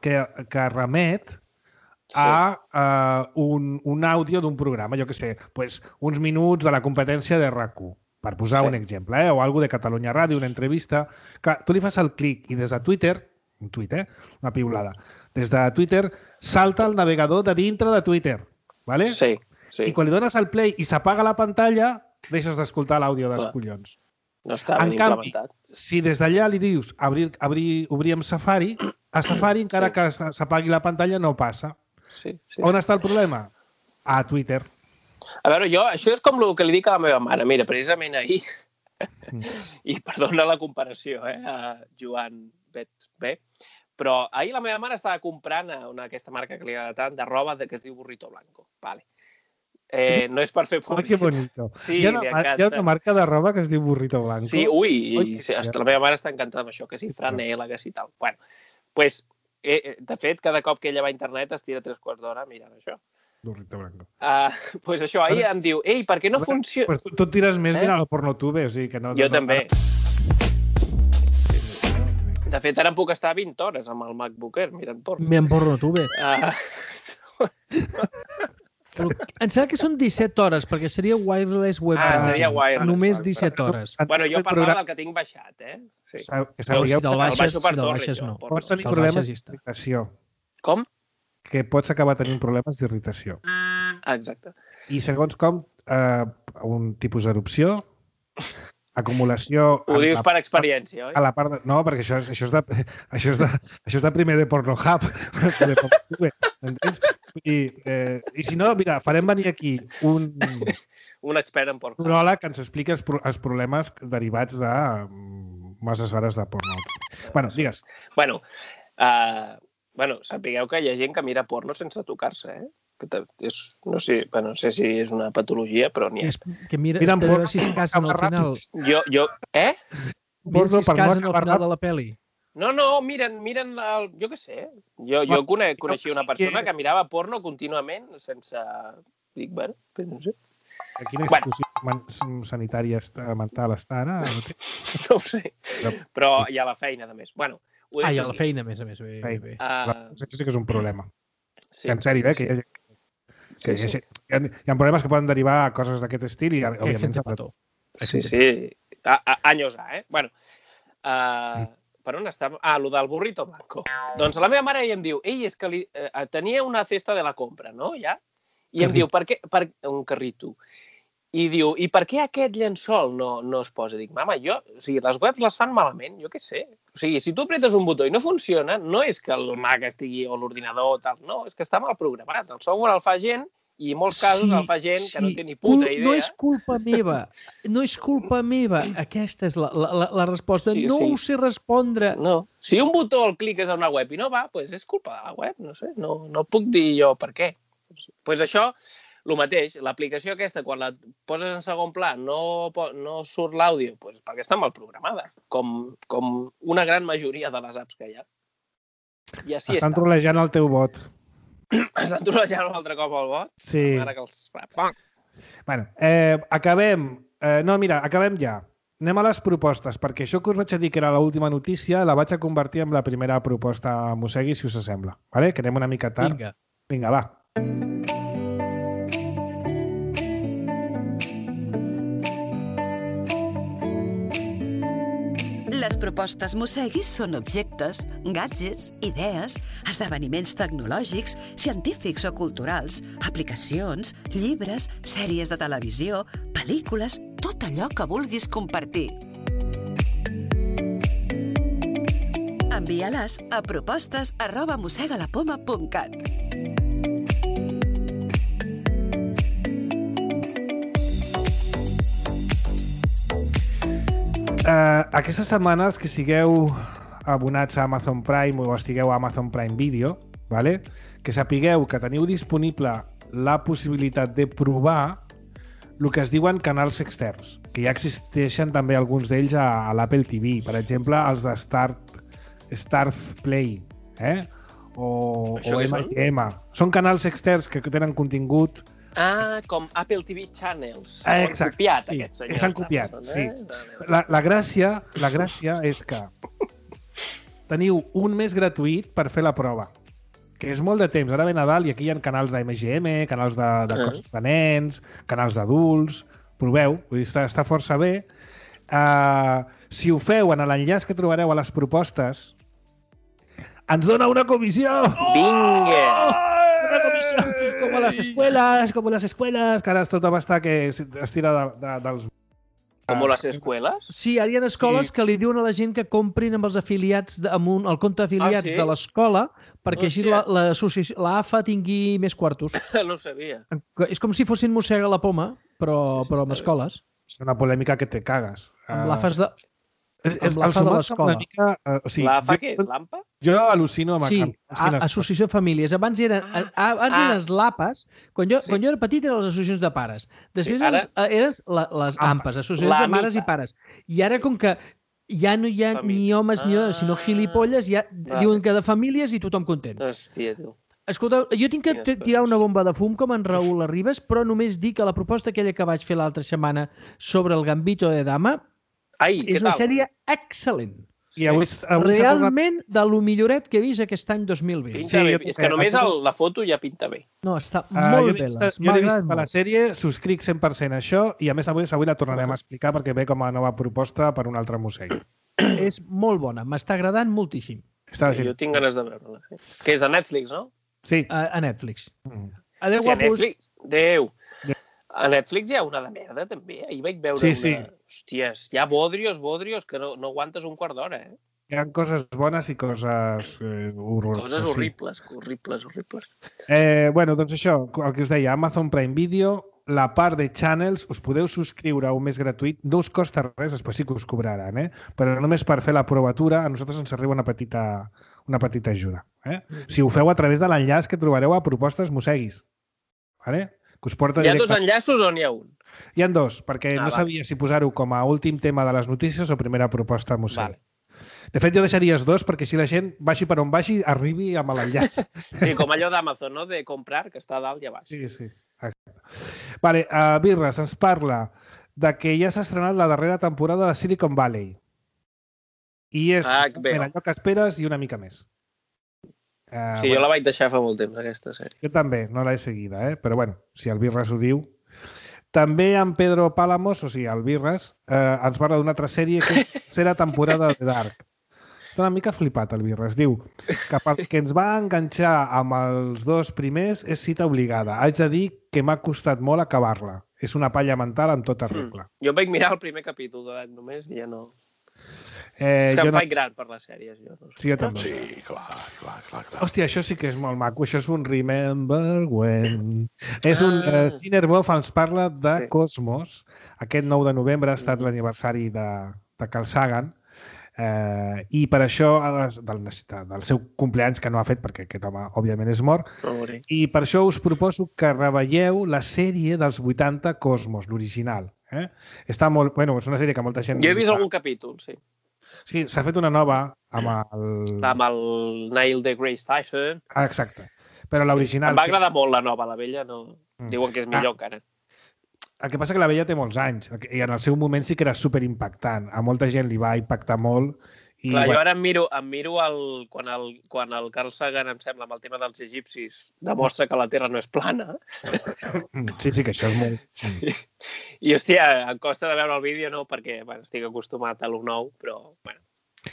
que remet a un àudio d'un programa, jo què sé, uns minuts de la competència de RAC1, per posar un exemple, o alguna de Catalunya Ràdio, una entrevista. Clar, tu li fas el clic i des de Twitter, un tuit, una piulada, des de Twitter salta el navegador de dintre de Twitter, ¿vale? Sí. I quan li dones el play i s'apaga la pantalla, deixes d'escoltar l'àudio dels collons. No està ben implementat. Si des d'allà li dius obrir amb Safari, a Safari, encara que s'apagui la pantalla, no passa. On està el problema? A Twitter. A veure, això és com el que li dic a la meva mare. Mira, precisament ahir, i perdona la comparació, a Joan B, però ahir la meva mare estava comprant aquesta marca que li agrada tant, de roba que es diu Burrito Blanco. Vale. No és per fer publicitat. Que bonito. Sí, hi ha una marca de roba que es diu Burrito Blanco. Sí, la meva mare està encantada amb això, que si franela, que si tal. Bueno, doncs, de fet, cada cop que ella va a internet es tira 3 quarts d'hora mirant això. Burrito Blanco. Doncs això, ahir em diu, ei, per què no funciona? Tu et tires més mirant el PornoTube, o sigui que no... Jo també. De fet, ara em puc estar 20 hores amb el MacBook Air mirant porno. Mirant PornoTube. Em sembla que són 17 hores, perquè seria wireless web. Seria wireless. Només 17 hores. Bueno, jo parlava del que tinc baixat, Sí. Si te'l baixes, no. Pots tenir problemes d'irritació. Com? Que pots acabar tenint problemes d'irritació. Exacte. I segons com, un tipus d'erupció, acumulació... Ho dius per experiència, oi? A la part no, perquè això és de primer de Pornhub. Entens? I si no, mira, farem venir aquí un expert en Pornhub. Un uròleg que ens expliqui els problemes derivats de masses hores de Pornhub. Bueno, digues. Bueno, sapigueu que hi ha gent que mira porno sense tocar-se, no sé si és una patologia, però n'hi ha. Que miren porno si es casen al final. Miren si es casen al final de la pel·li. No, miren jo què sé. Jo coneixia una persona que mirava porno contínuament sense... Dic, bueno, no sé. Quina institució sanitària mental està ara? No ho sé, però hi ha la feina, a més. Bueno, hi ha la feina, a més. Bé. Això sí que és un problema. En sèrio, que hi ha problemes que poden derivar a coses d'aquest estil i, òbviament, Sí. Anyos A, Bueno, per on està? Lo del Burrito Blanco. Doncs la meva mare em diu, és que tenia una cesta de la compra, no? Ja? I em diu, per què? Un carrito. I diu, i per què aquest llençol no es posa? Dic, mama, les webs les fan malament, jo què sé. O sigui, si tu apretes un botó i no funciona, no és que el Mac estigui o l'ordinador o tal, no, és que està mal programat. El software el fa gent i en molts casos el fa gent que no té ni puta idea. No és culpa meva. Aquesta és la resposta. No ho sé respondre. No. Si un botó el cliques a una web i no va, doncs és culpa de la web, no sé. No puc dir jo per què. Doncs això, el mateix, l'aplicació aquesta, quan la poses en segon pla, no surt l'àudio, doncs perquè està mal programada, com una gran majoria de les apps que hi ha. I així estan trolejant el teu bot. Estan trolejant un altre cop el bot? Sí. Ara que els... Bueno, acabem. No, mira, acabem ja. Anem a les propostes, perquè això que us vaig a dir que era l'última notícia la vaig a convertir en la primera proposta a Mossegui, si us sembla. Vale? Que anem una mica tard. Vinga, va. Les propostes Mosseguis són objectes, gadgets, idees, esdeveniments tecnològics, científics o culturals, aplicacions, llibres, sèries de televisió, pel·lícules, tot allò que vulguis compartir. Envia-les a propostes@mossegalapoma.cat. Aquesta setmana, els que sigueu abonats a Amazon Prime o estigueu a Amazon Prime Video, vale? Que sapigueu que teniu disponible la possibilitat de provar el que es diuen canals externs, que ja existeixen també alguns d'ells a l'Apple TV, per exemple, els de Starz Play, o MGM. Són canals externs que tenen contingut. Com Apple TV Channels. S'han copiat, aquests senyors. S'han copiat, sí. La gràcia és que teniu un mes gratuït per fer la prova, que és molt de temps. Ara ve Nadal i aquí hi ha canals de MGM, canals de coses de nens, canals d'adults. Proveu, vull dir, està força bé. Si ho feu en l'enllaç que trobareu a les propostes, ens dona una comissió! Vinga! Una comissió! Com a les escueles, que ara tothom està que es tira dels... Com a les escoles? Sí, ara hi ha escoles que li diuen a la gent que comprin amb els afiliats, amb el compte d'afiliats de l'escola, perquè així l'AFA tingui més quartos. No ho sabia. És com si fossin Mossega la Poma, però amb escoles. És una polèmica que te cagues. Amb l'AFA de l'escola. L'AFA què és? L'AMPA? Jo al·lucino amb... Sí, Associació de Famílies. Abans eren les LAPAs. Quan jo era petit eren les associacions de pares. Després eren les AMPAs, associacions de mares i pares. I ara, com que ja no hi ha ni homes ni dones, sinó gilipolles, ja diuen que de famílies i tothom content. Hòstia, tu. Escolta, jo tinc que tirar una bomba de fum com en Raül Arribas, però només dic que la proposta aquella que vaig fer l'altra setmana sobre el Gambito de Dama és una sèrie excel·lent. Realment de lo milloret que he vist aquest any 2020. Pinta bé. És que només la foto ja pinta bé. No, està molt bé. Jo l'he vist a la sèrie, subscric 100% això i a més avui la tornarem a explicar perquè ve com a nova proposta per un altre museu. És molt bona, m'està agradant moltíssim. Jo tinc ganes de veure-la. Que és de Netflix, no? Sí. A Netflix. Adéu, guapos. Adéu. A Netflix hi ha una de merda, també. Ahir vaig veure una... Hòsties, hi ha bodrios que no aguantes un quart d'hora, Hi ha coses bones i coses horroroses. Coses horribles. Bueno, doncs això, el que us deia, Amazon Prime Video, la part de Channels, us podeu subscriure a un mes gratuït, no us costa res, després sí que us cobraran, però només per fer la provatura a nosaltres ens arriba una petita ajuda. Si ho feu a través de l'enllaç que trobareu a Propostes Mosseguis. Vale? Que us porta hi ha dos enllaços o n'hi ha un? Hi ha dos, perquè no sabia si posar-ho com a últim tema de les notícies o primera proposta a Mossegui. Vale. De fet, jo deixaries dos perquè així la gent, vagi per on vagi, arribi amb l'enllaç. Sí, com allò d'Amazon, no? De comprar, que està a dalt i a baix. Sí. Exacte. Vale, Birres ens parla de que ja s'ha estrenat la darrera temporada de Silicon Valley. I és allò que esperes i una mica més. Sí, jo la vaig deixar fa molt temps, aquesta sèrie. Jo també, no l'he seguida, però bueno, si el Birres ho diu. També en Pedro Pálamos, o sigui, el Birres, ens parla d'una altra sèrie que és la tercera temporada de Dark. Està una mica flipat, el Birres. Diu que pel que ens va enganxar amb els dos primers és cita obligada. Haig de dir que m'ha costat molt acabar-la. És una palla mental amb tota regla. Jo vaig mirar el primer capítol de Dark només i ja no... És que em faig gran per les sèries. Sí, jo també. Sí, clar. Hòstia, això sí que és molt maco. Això és un Remember When. És un... Cinerbov ens parla de Cosmos. Aquest 9 de novembre ha estat l'aniversari de Carl Sagan. I per això, del seu compleanys, que no ha fet, perquè aquest home, òbviament, és mort, i per això us proposo que reveieu la sèrie dels 80 Cosmos, l'original. Està molt... Bueno, és una sèrie que molta gent... Jo he vist algun capítol, sí. Sí, s'ha fet una nova amb el... Amb el Neil deGrasse Tyson. Exacte. Però l'original... Em va agradar molt la nova, la vella no... Diuen que és millor encara. El que passa que la vella té molts anys i en el seu moment sí que era superimpactant. A molta gent li va impactar molt. I, clar, jo ara em miro quan el Carl Sagan, em sembla, amb el tema dels egipcis, demostra que la Terra no és plana. Sí, que això és molt... Sí. I, hòstia, em costa de veure el vídeo, no, perquè estic acostumat a lo nou, però, bueno.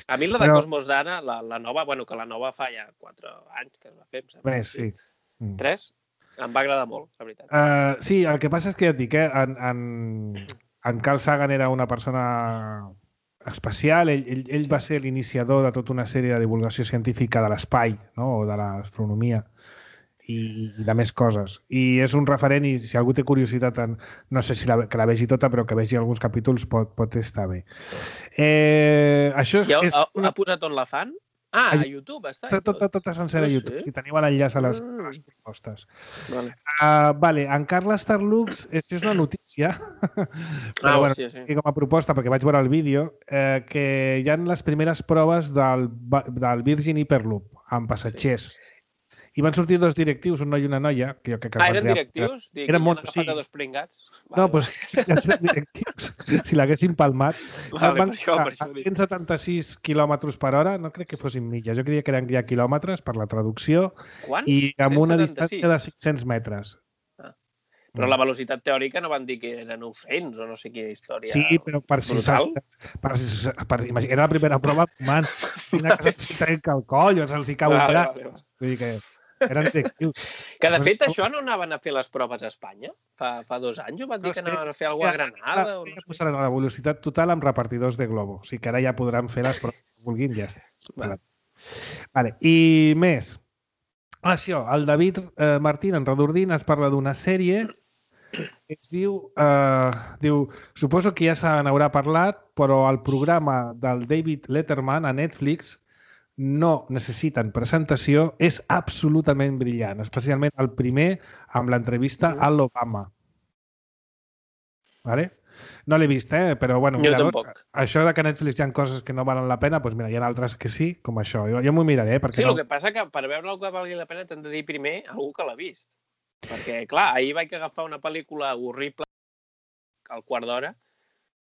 A mi la de Cosmos d'Anna, la nova, bueno, que la nova fa ja 4 anys que es va fer, em sembla. Bé, sí. 3? Em va agradar molt, la veritat. Sí, el que passa és que ja et dic, en Carl Sagan era una persona especial. Ell va ser l'iniciador de tota una sèrie de divulgació científica de l'espai, no? O de l'astronomia i de més coses. I és un referent i si algú té curiositat, no sé si que la vegi tota, però que vegi alguns capítols pot estar bé. Això és... Ha posat on la fan? Ah, a YouTube està. Està tota sencera a YouTube. Si teniu l'enllaç a les propostes. Vale, en Carles Starlux, això és una notícia, però bueno, com a proposta, perquè vaig veure el vídeo, que hi ha les primeres proves del Virgin Hyperloop amb passatgers. I van sortir 2 directius, un noi i una noia. Que jo crec que eren directius? Eren molt... Han agafat a 2 pringats? No, doncs ja eren directius. Si l'haguessin palmat. Van a 176 km per hora. No crec que fossin milles. Jo creia que eren ja quilòmetres per la traducció. Quant? I amb una distància de 500 metres. Però la velocitat teòrica no van dir que eren 900 o no sé quina història. Sí, però per si era la primera prova, man, quina que se'ls trenca el coll o se'ls hi cau un braç. Vull dir que eren directius. Que de fet això no anaven a fer les proves a Espanya? Fa 2 anys ho van dir que anaven a fer alguna cosa a Granada? Posaran la velocitat total amb repartidors de globo. O sigui que ara ja podran fer les proves que vulguin, ja està. Vale. I més. Això, el David Martín en Redordín es parla d'una sèrie que es diu, suposo que ja se n'haurà parlat, però el programa del David Letterman a Netflix no necessiten presentació, és absolutament brillant, especialment el primer amb l'entrevista a l'Obama. Vale? No l'he vist, però bueno, això de que a Netflix hi ha coses que no valen la pena, doncs mira, hi ha altres que sí, com això. Jo m'ho miraré. Sí, el que passa que per veure algú que valgui la pena t'han de dir primer algú que l'ha vist. Perquè, clar, ahir vaig agafar una pel·lícula horrible al quart d'hora,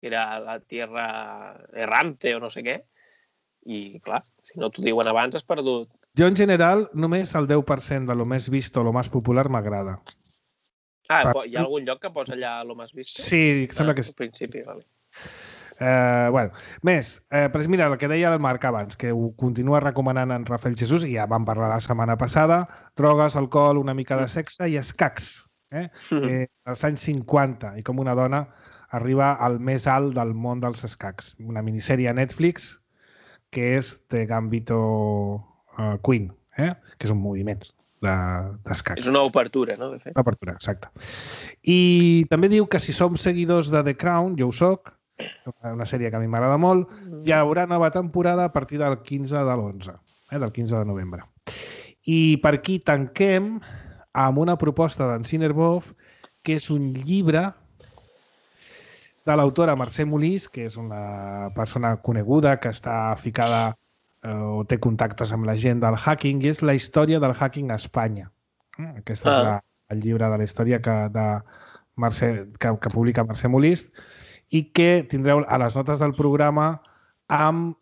que era La Tierra Errante o no sé què, i, clar, si no t'ho diuen abans has perdut. Jo, en general, només el 10% de lo més vist o lo més popular m'agrada. Ah, hi ha algun lloc que posa allà lo més vist? Sí, sembla que sí. Al principi, vale. Bueno, més, però mira, el que deia el Marc abans, que ho continua recomanant en Rafael Jesús, i ja vam parlar la setmana passada, drogues, alcohol, una mica de sexe i escacs. Als anys 50, i com una dona arriba al més alt del món dels escacs. Una minissèrie a Netflix que és The Gambito Queen, que és un moviment d'escacs. És una obertura, no? De fet. Una obertura, exacte. I també diu que si som seguidors de The Crown, jo ho soc, una sèrie que a mi m'agrada molt, hi haurà nova temporada a partir del 15 de l'11, del 15 de novembre. I per aquí tanquem amb una proposta d'en Cinerbov, que és un llibre de l'autora Mercè Molís, que és una persona coneguda que està ficada o té contactes amb la gent del hacking, i és la història del hacking a Espanya. Aquest és el llibre de la història que publica Mercè Molís, i que tindreu a les notes del programa amb...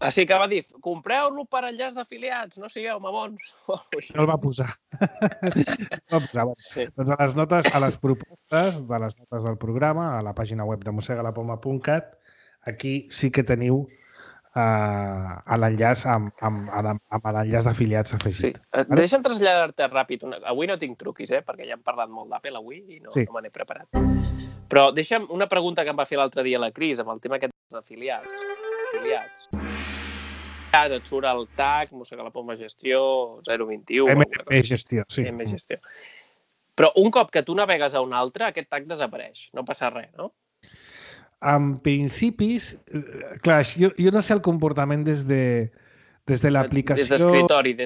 Així que va dir, compreu-lo per enllaç d'afiliats, no sigueu mamons. No el va posar. Doncs a les notes, a les propostes de les notes del programa, a la pàgina web de mosegalapoma.cat, aquí sí que teniu l'enllaç amb l'enllaç d'afiliats afegit. Sí. Deixa'm traslladar-te ràpid. Avui no tinc truquis, perquè ja hem parlat molt d'Apple avui i no me n'he preparat. Però deixa'm una pregunta que em va fer l'altre dia la Cris amb el tema aquest dels afiliats. Et surt el tag, Mossega la Poma Gestió, 021... Gestió, sí. Gestió. Però un cop que tu navegues a un altre, aquest tag desapareix. No passa res, no? En principis, clar, jo no sé el comportament des de l'aplicació... Des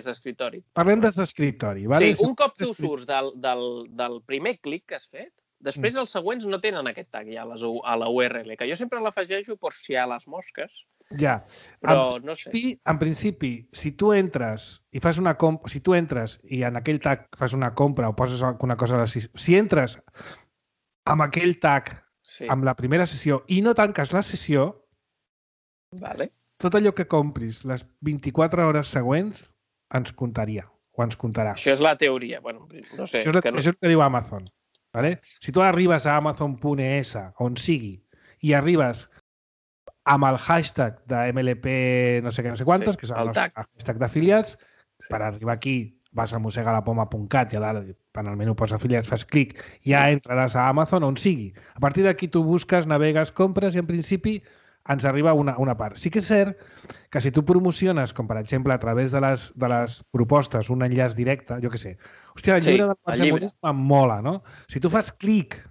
d'escriptori. Parlem des d'escriptori. Vale? Sí, un cop tu surts del primer clic que has fet, després els següents no tenen aquest tag ja a la URL, que jo sempre l'afegeixo per si hi ha les mosques. Ja. Però no sé. En principi, si tu entres i fas una compra, si tu entres i en aquell tag fas una compra o poses alguna cosa a la... Si entres amb aquell tag amb la primera sessió i no tanques la sessió, tot allò que compris les 24 hores següents ens comptaria o ens comptarà. Això és la teoria. Bueno, no sé. Això és el que diu Amazon. Vale? Si tu arribes a Amazon.es, on sigui, i arribes amb el hashtag de MLP no sé què, no sé quantos, que és el nostre hashtag d'afiliats, per arribar aquí vas a mosegalapoma.cat i a dalt, en el menú posa afiliats, fas clic, ja entraràs a Amazon on sigui. A partir d'aquí tu busques, navegues, compres i en principi ens arriba una part. Sí que és cert que si tu promociones, com per exemple a través de les propostes, un enllaç directe, jo què sé, hòstia, el llibre del Mercè Morís em mola, no? Si tu fas clic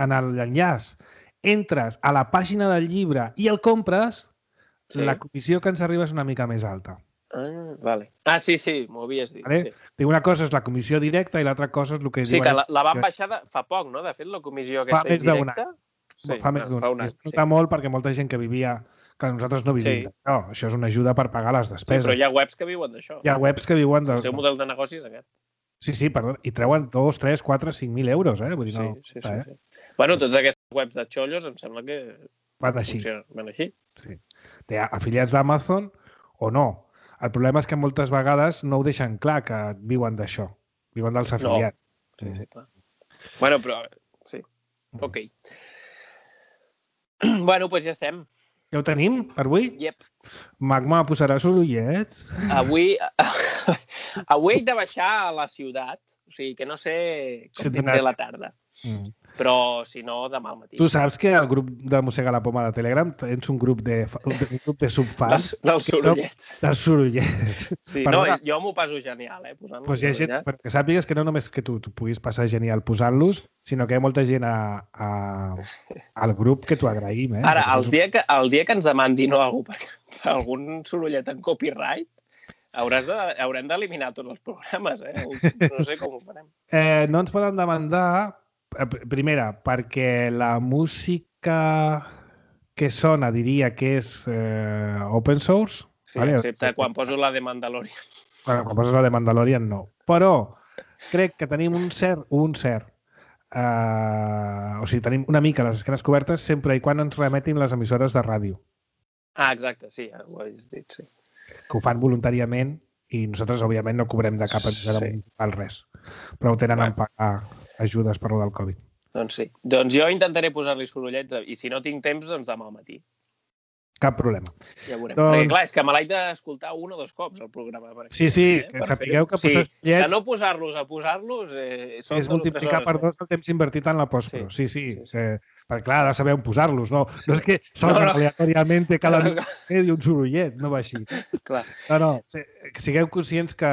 en l'enllaç, entres a la pàgina del llibre i el compres, la comissió que ens arriba és una mica més alta. Sí, m'ho havies dit. Una cosa és la comissió directa i l'altra cosa és el que diuen... Sí, que la van baixar fa poc, no? De fet, la comissió aquesta indirecta... Fa més d'un any. Es nota molt perquè molta gent que vivia... que nosaltres no vivim d'això. Això és una ajuda per pagar les despeses. Sí, però hi ha webs que viuen d'això. Hi ha webs que viuen... El seu model de negoci és aquest. Sí, perdó. I treuen 2, 3, 4, 5.000 euros, Vull dir, no... Sí. Bueno, totes aquestes webs de xollos em sembla que... Van així. Van així. Sí. Té afiliats d'Amazon o no. El problema és que moltes vegades no ho deixen clar que viuen d'això. Viuen dels afiliats. Sí, clar. Bueno, però... Sí. Ok. Bueno, doncs ja estem. Ja ho tenim per avui? Yep. Magma posarà sorollets? Avui he de baixar a la ciutat. O sigui, que no sé com tindré la tarda. Però, si no, demà al matí. Tu saps que al grup de Mossega la Poma de Telegram tens un grup de subfans... Dels sorollets. Dels sorollets. Sí, no, jo m'ho passo genial, posant-los. Doncs hi ha gent, perquè sàpigues que no només que tu puguis passar genial posant-los, sinó que hi ha molta gent al grup que t'ho agraïm. Ara, el dia que ens demandin algun sorollet en copyright, haurem d'eliminar tots els programes, No sé com ho farem. No ens poden demandar... Primera, perquè la música que sona diria que és open source. Sí, excepte quan poso la de Mandalorian. Quan poses la de Mandalorian, no. Però crec que tenim un cert... o sigui, tenim una mica les esquenes cobertes sempre i quan ens remetin les emissores de ràdio. Exacte, sí, ho has dit, sí. Que ho fan voluntàriament i nosaltres, òbviament, no cobrem de cap emissora municipal res. Però ho tenen en pagar ajudes per lo del Covid. Doncs sí. Doncs jo intentaré posar-li sorollets i si no tinc temps, doncs demà al matí. Cap problema. Ja veurem. Perquè, clar, és que me l'haig d'escoltar 1 o 2 cops, el programa. Sí, que sapigueu que posar sorollets... De no posar-los a posar-los... És multiplicar per 2 el temps invertit en la postpro. Sí. Perquè, clar, ha de saber on posar-los. No és que salga aleatoriament cada i un sorollet, no va així. No, sigueu conscients que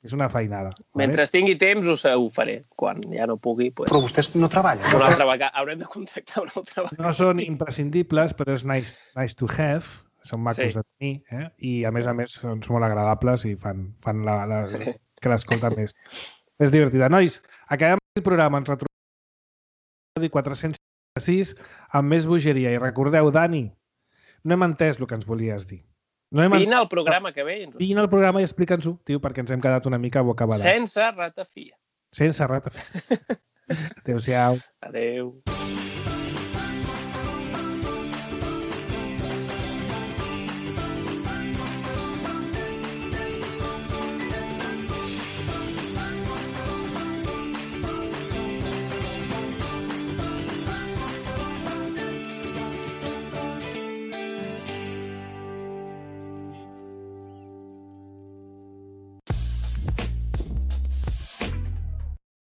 és una feinada. Mentre tingui temps ho faré. Quan ja no pugui... Però vostès no treballen. Una altra vegada. Haurem de contractar una altra vegada. No són imprescindibles, però és nice to have. Són macos de tenir. I, a més, són molt agradables i fan que l'escolta més divertida. Nois, acabem el programa. Ens retrobem 406 amb més bogeria. I recordeu, Dani, no hem entès el que ens volies dir. Vine al programa que ve. Vine al programa i explica'ns-ho, tio, perquè ens hem quedat una mica bocabadat. Sense ratafia. Sense ratafia. Adéu-siau. Adéu.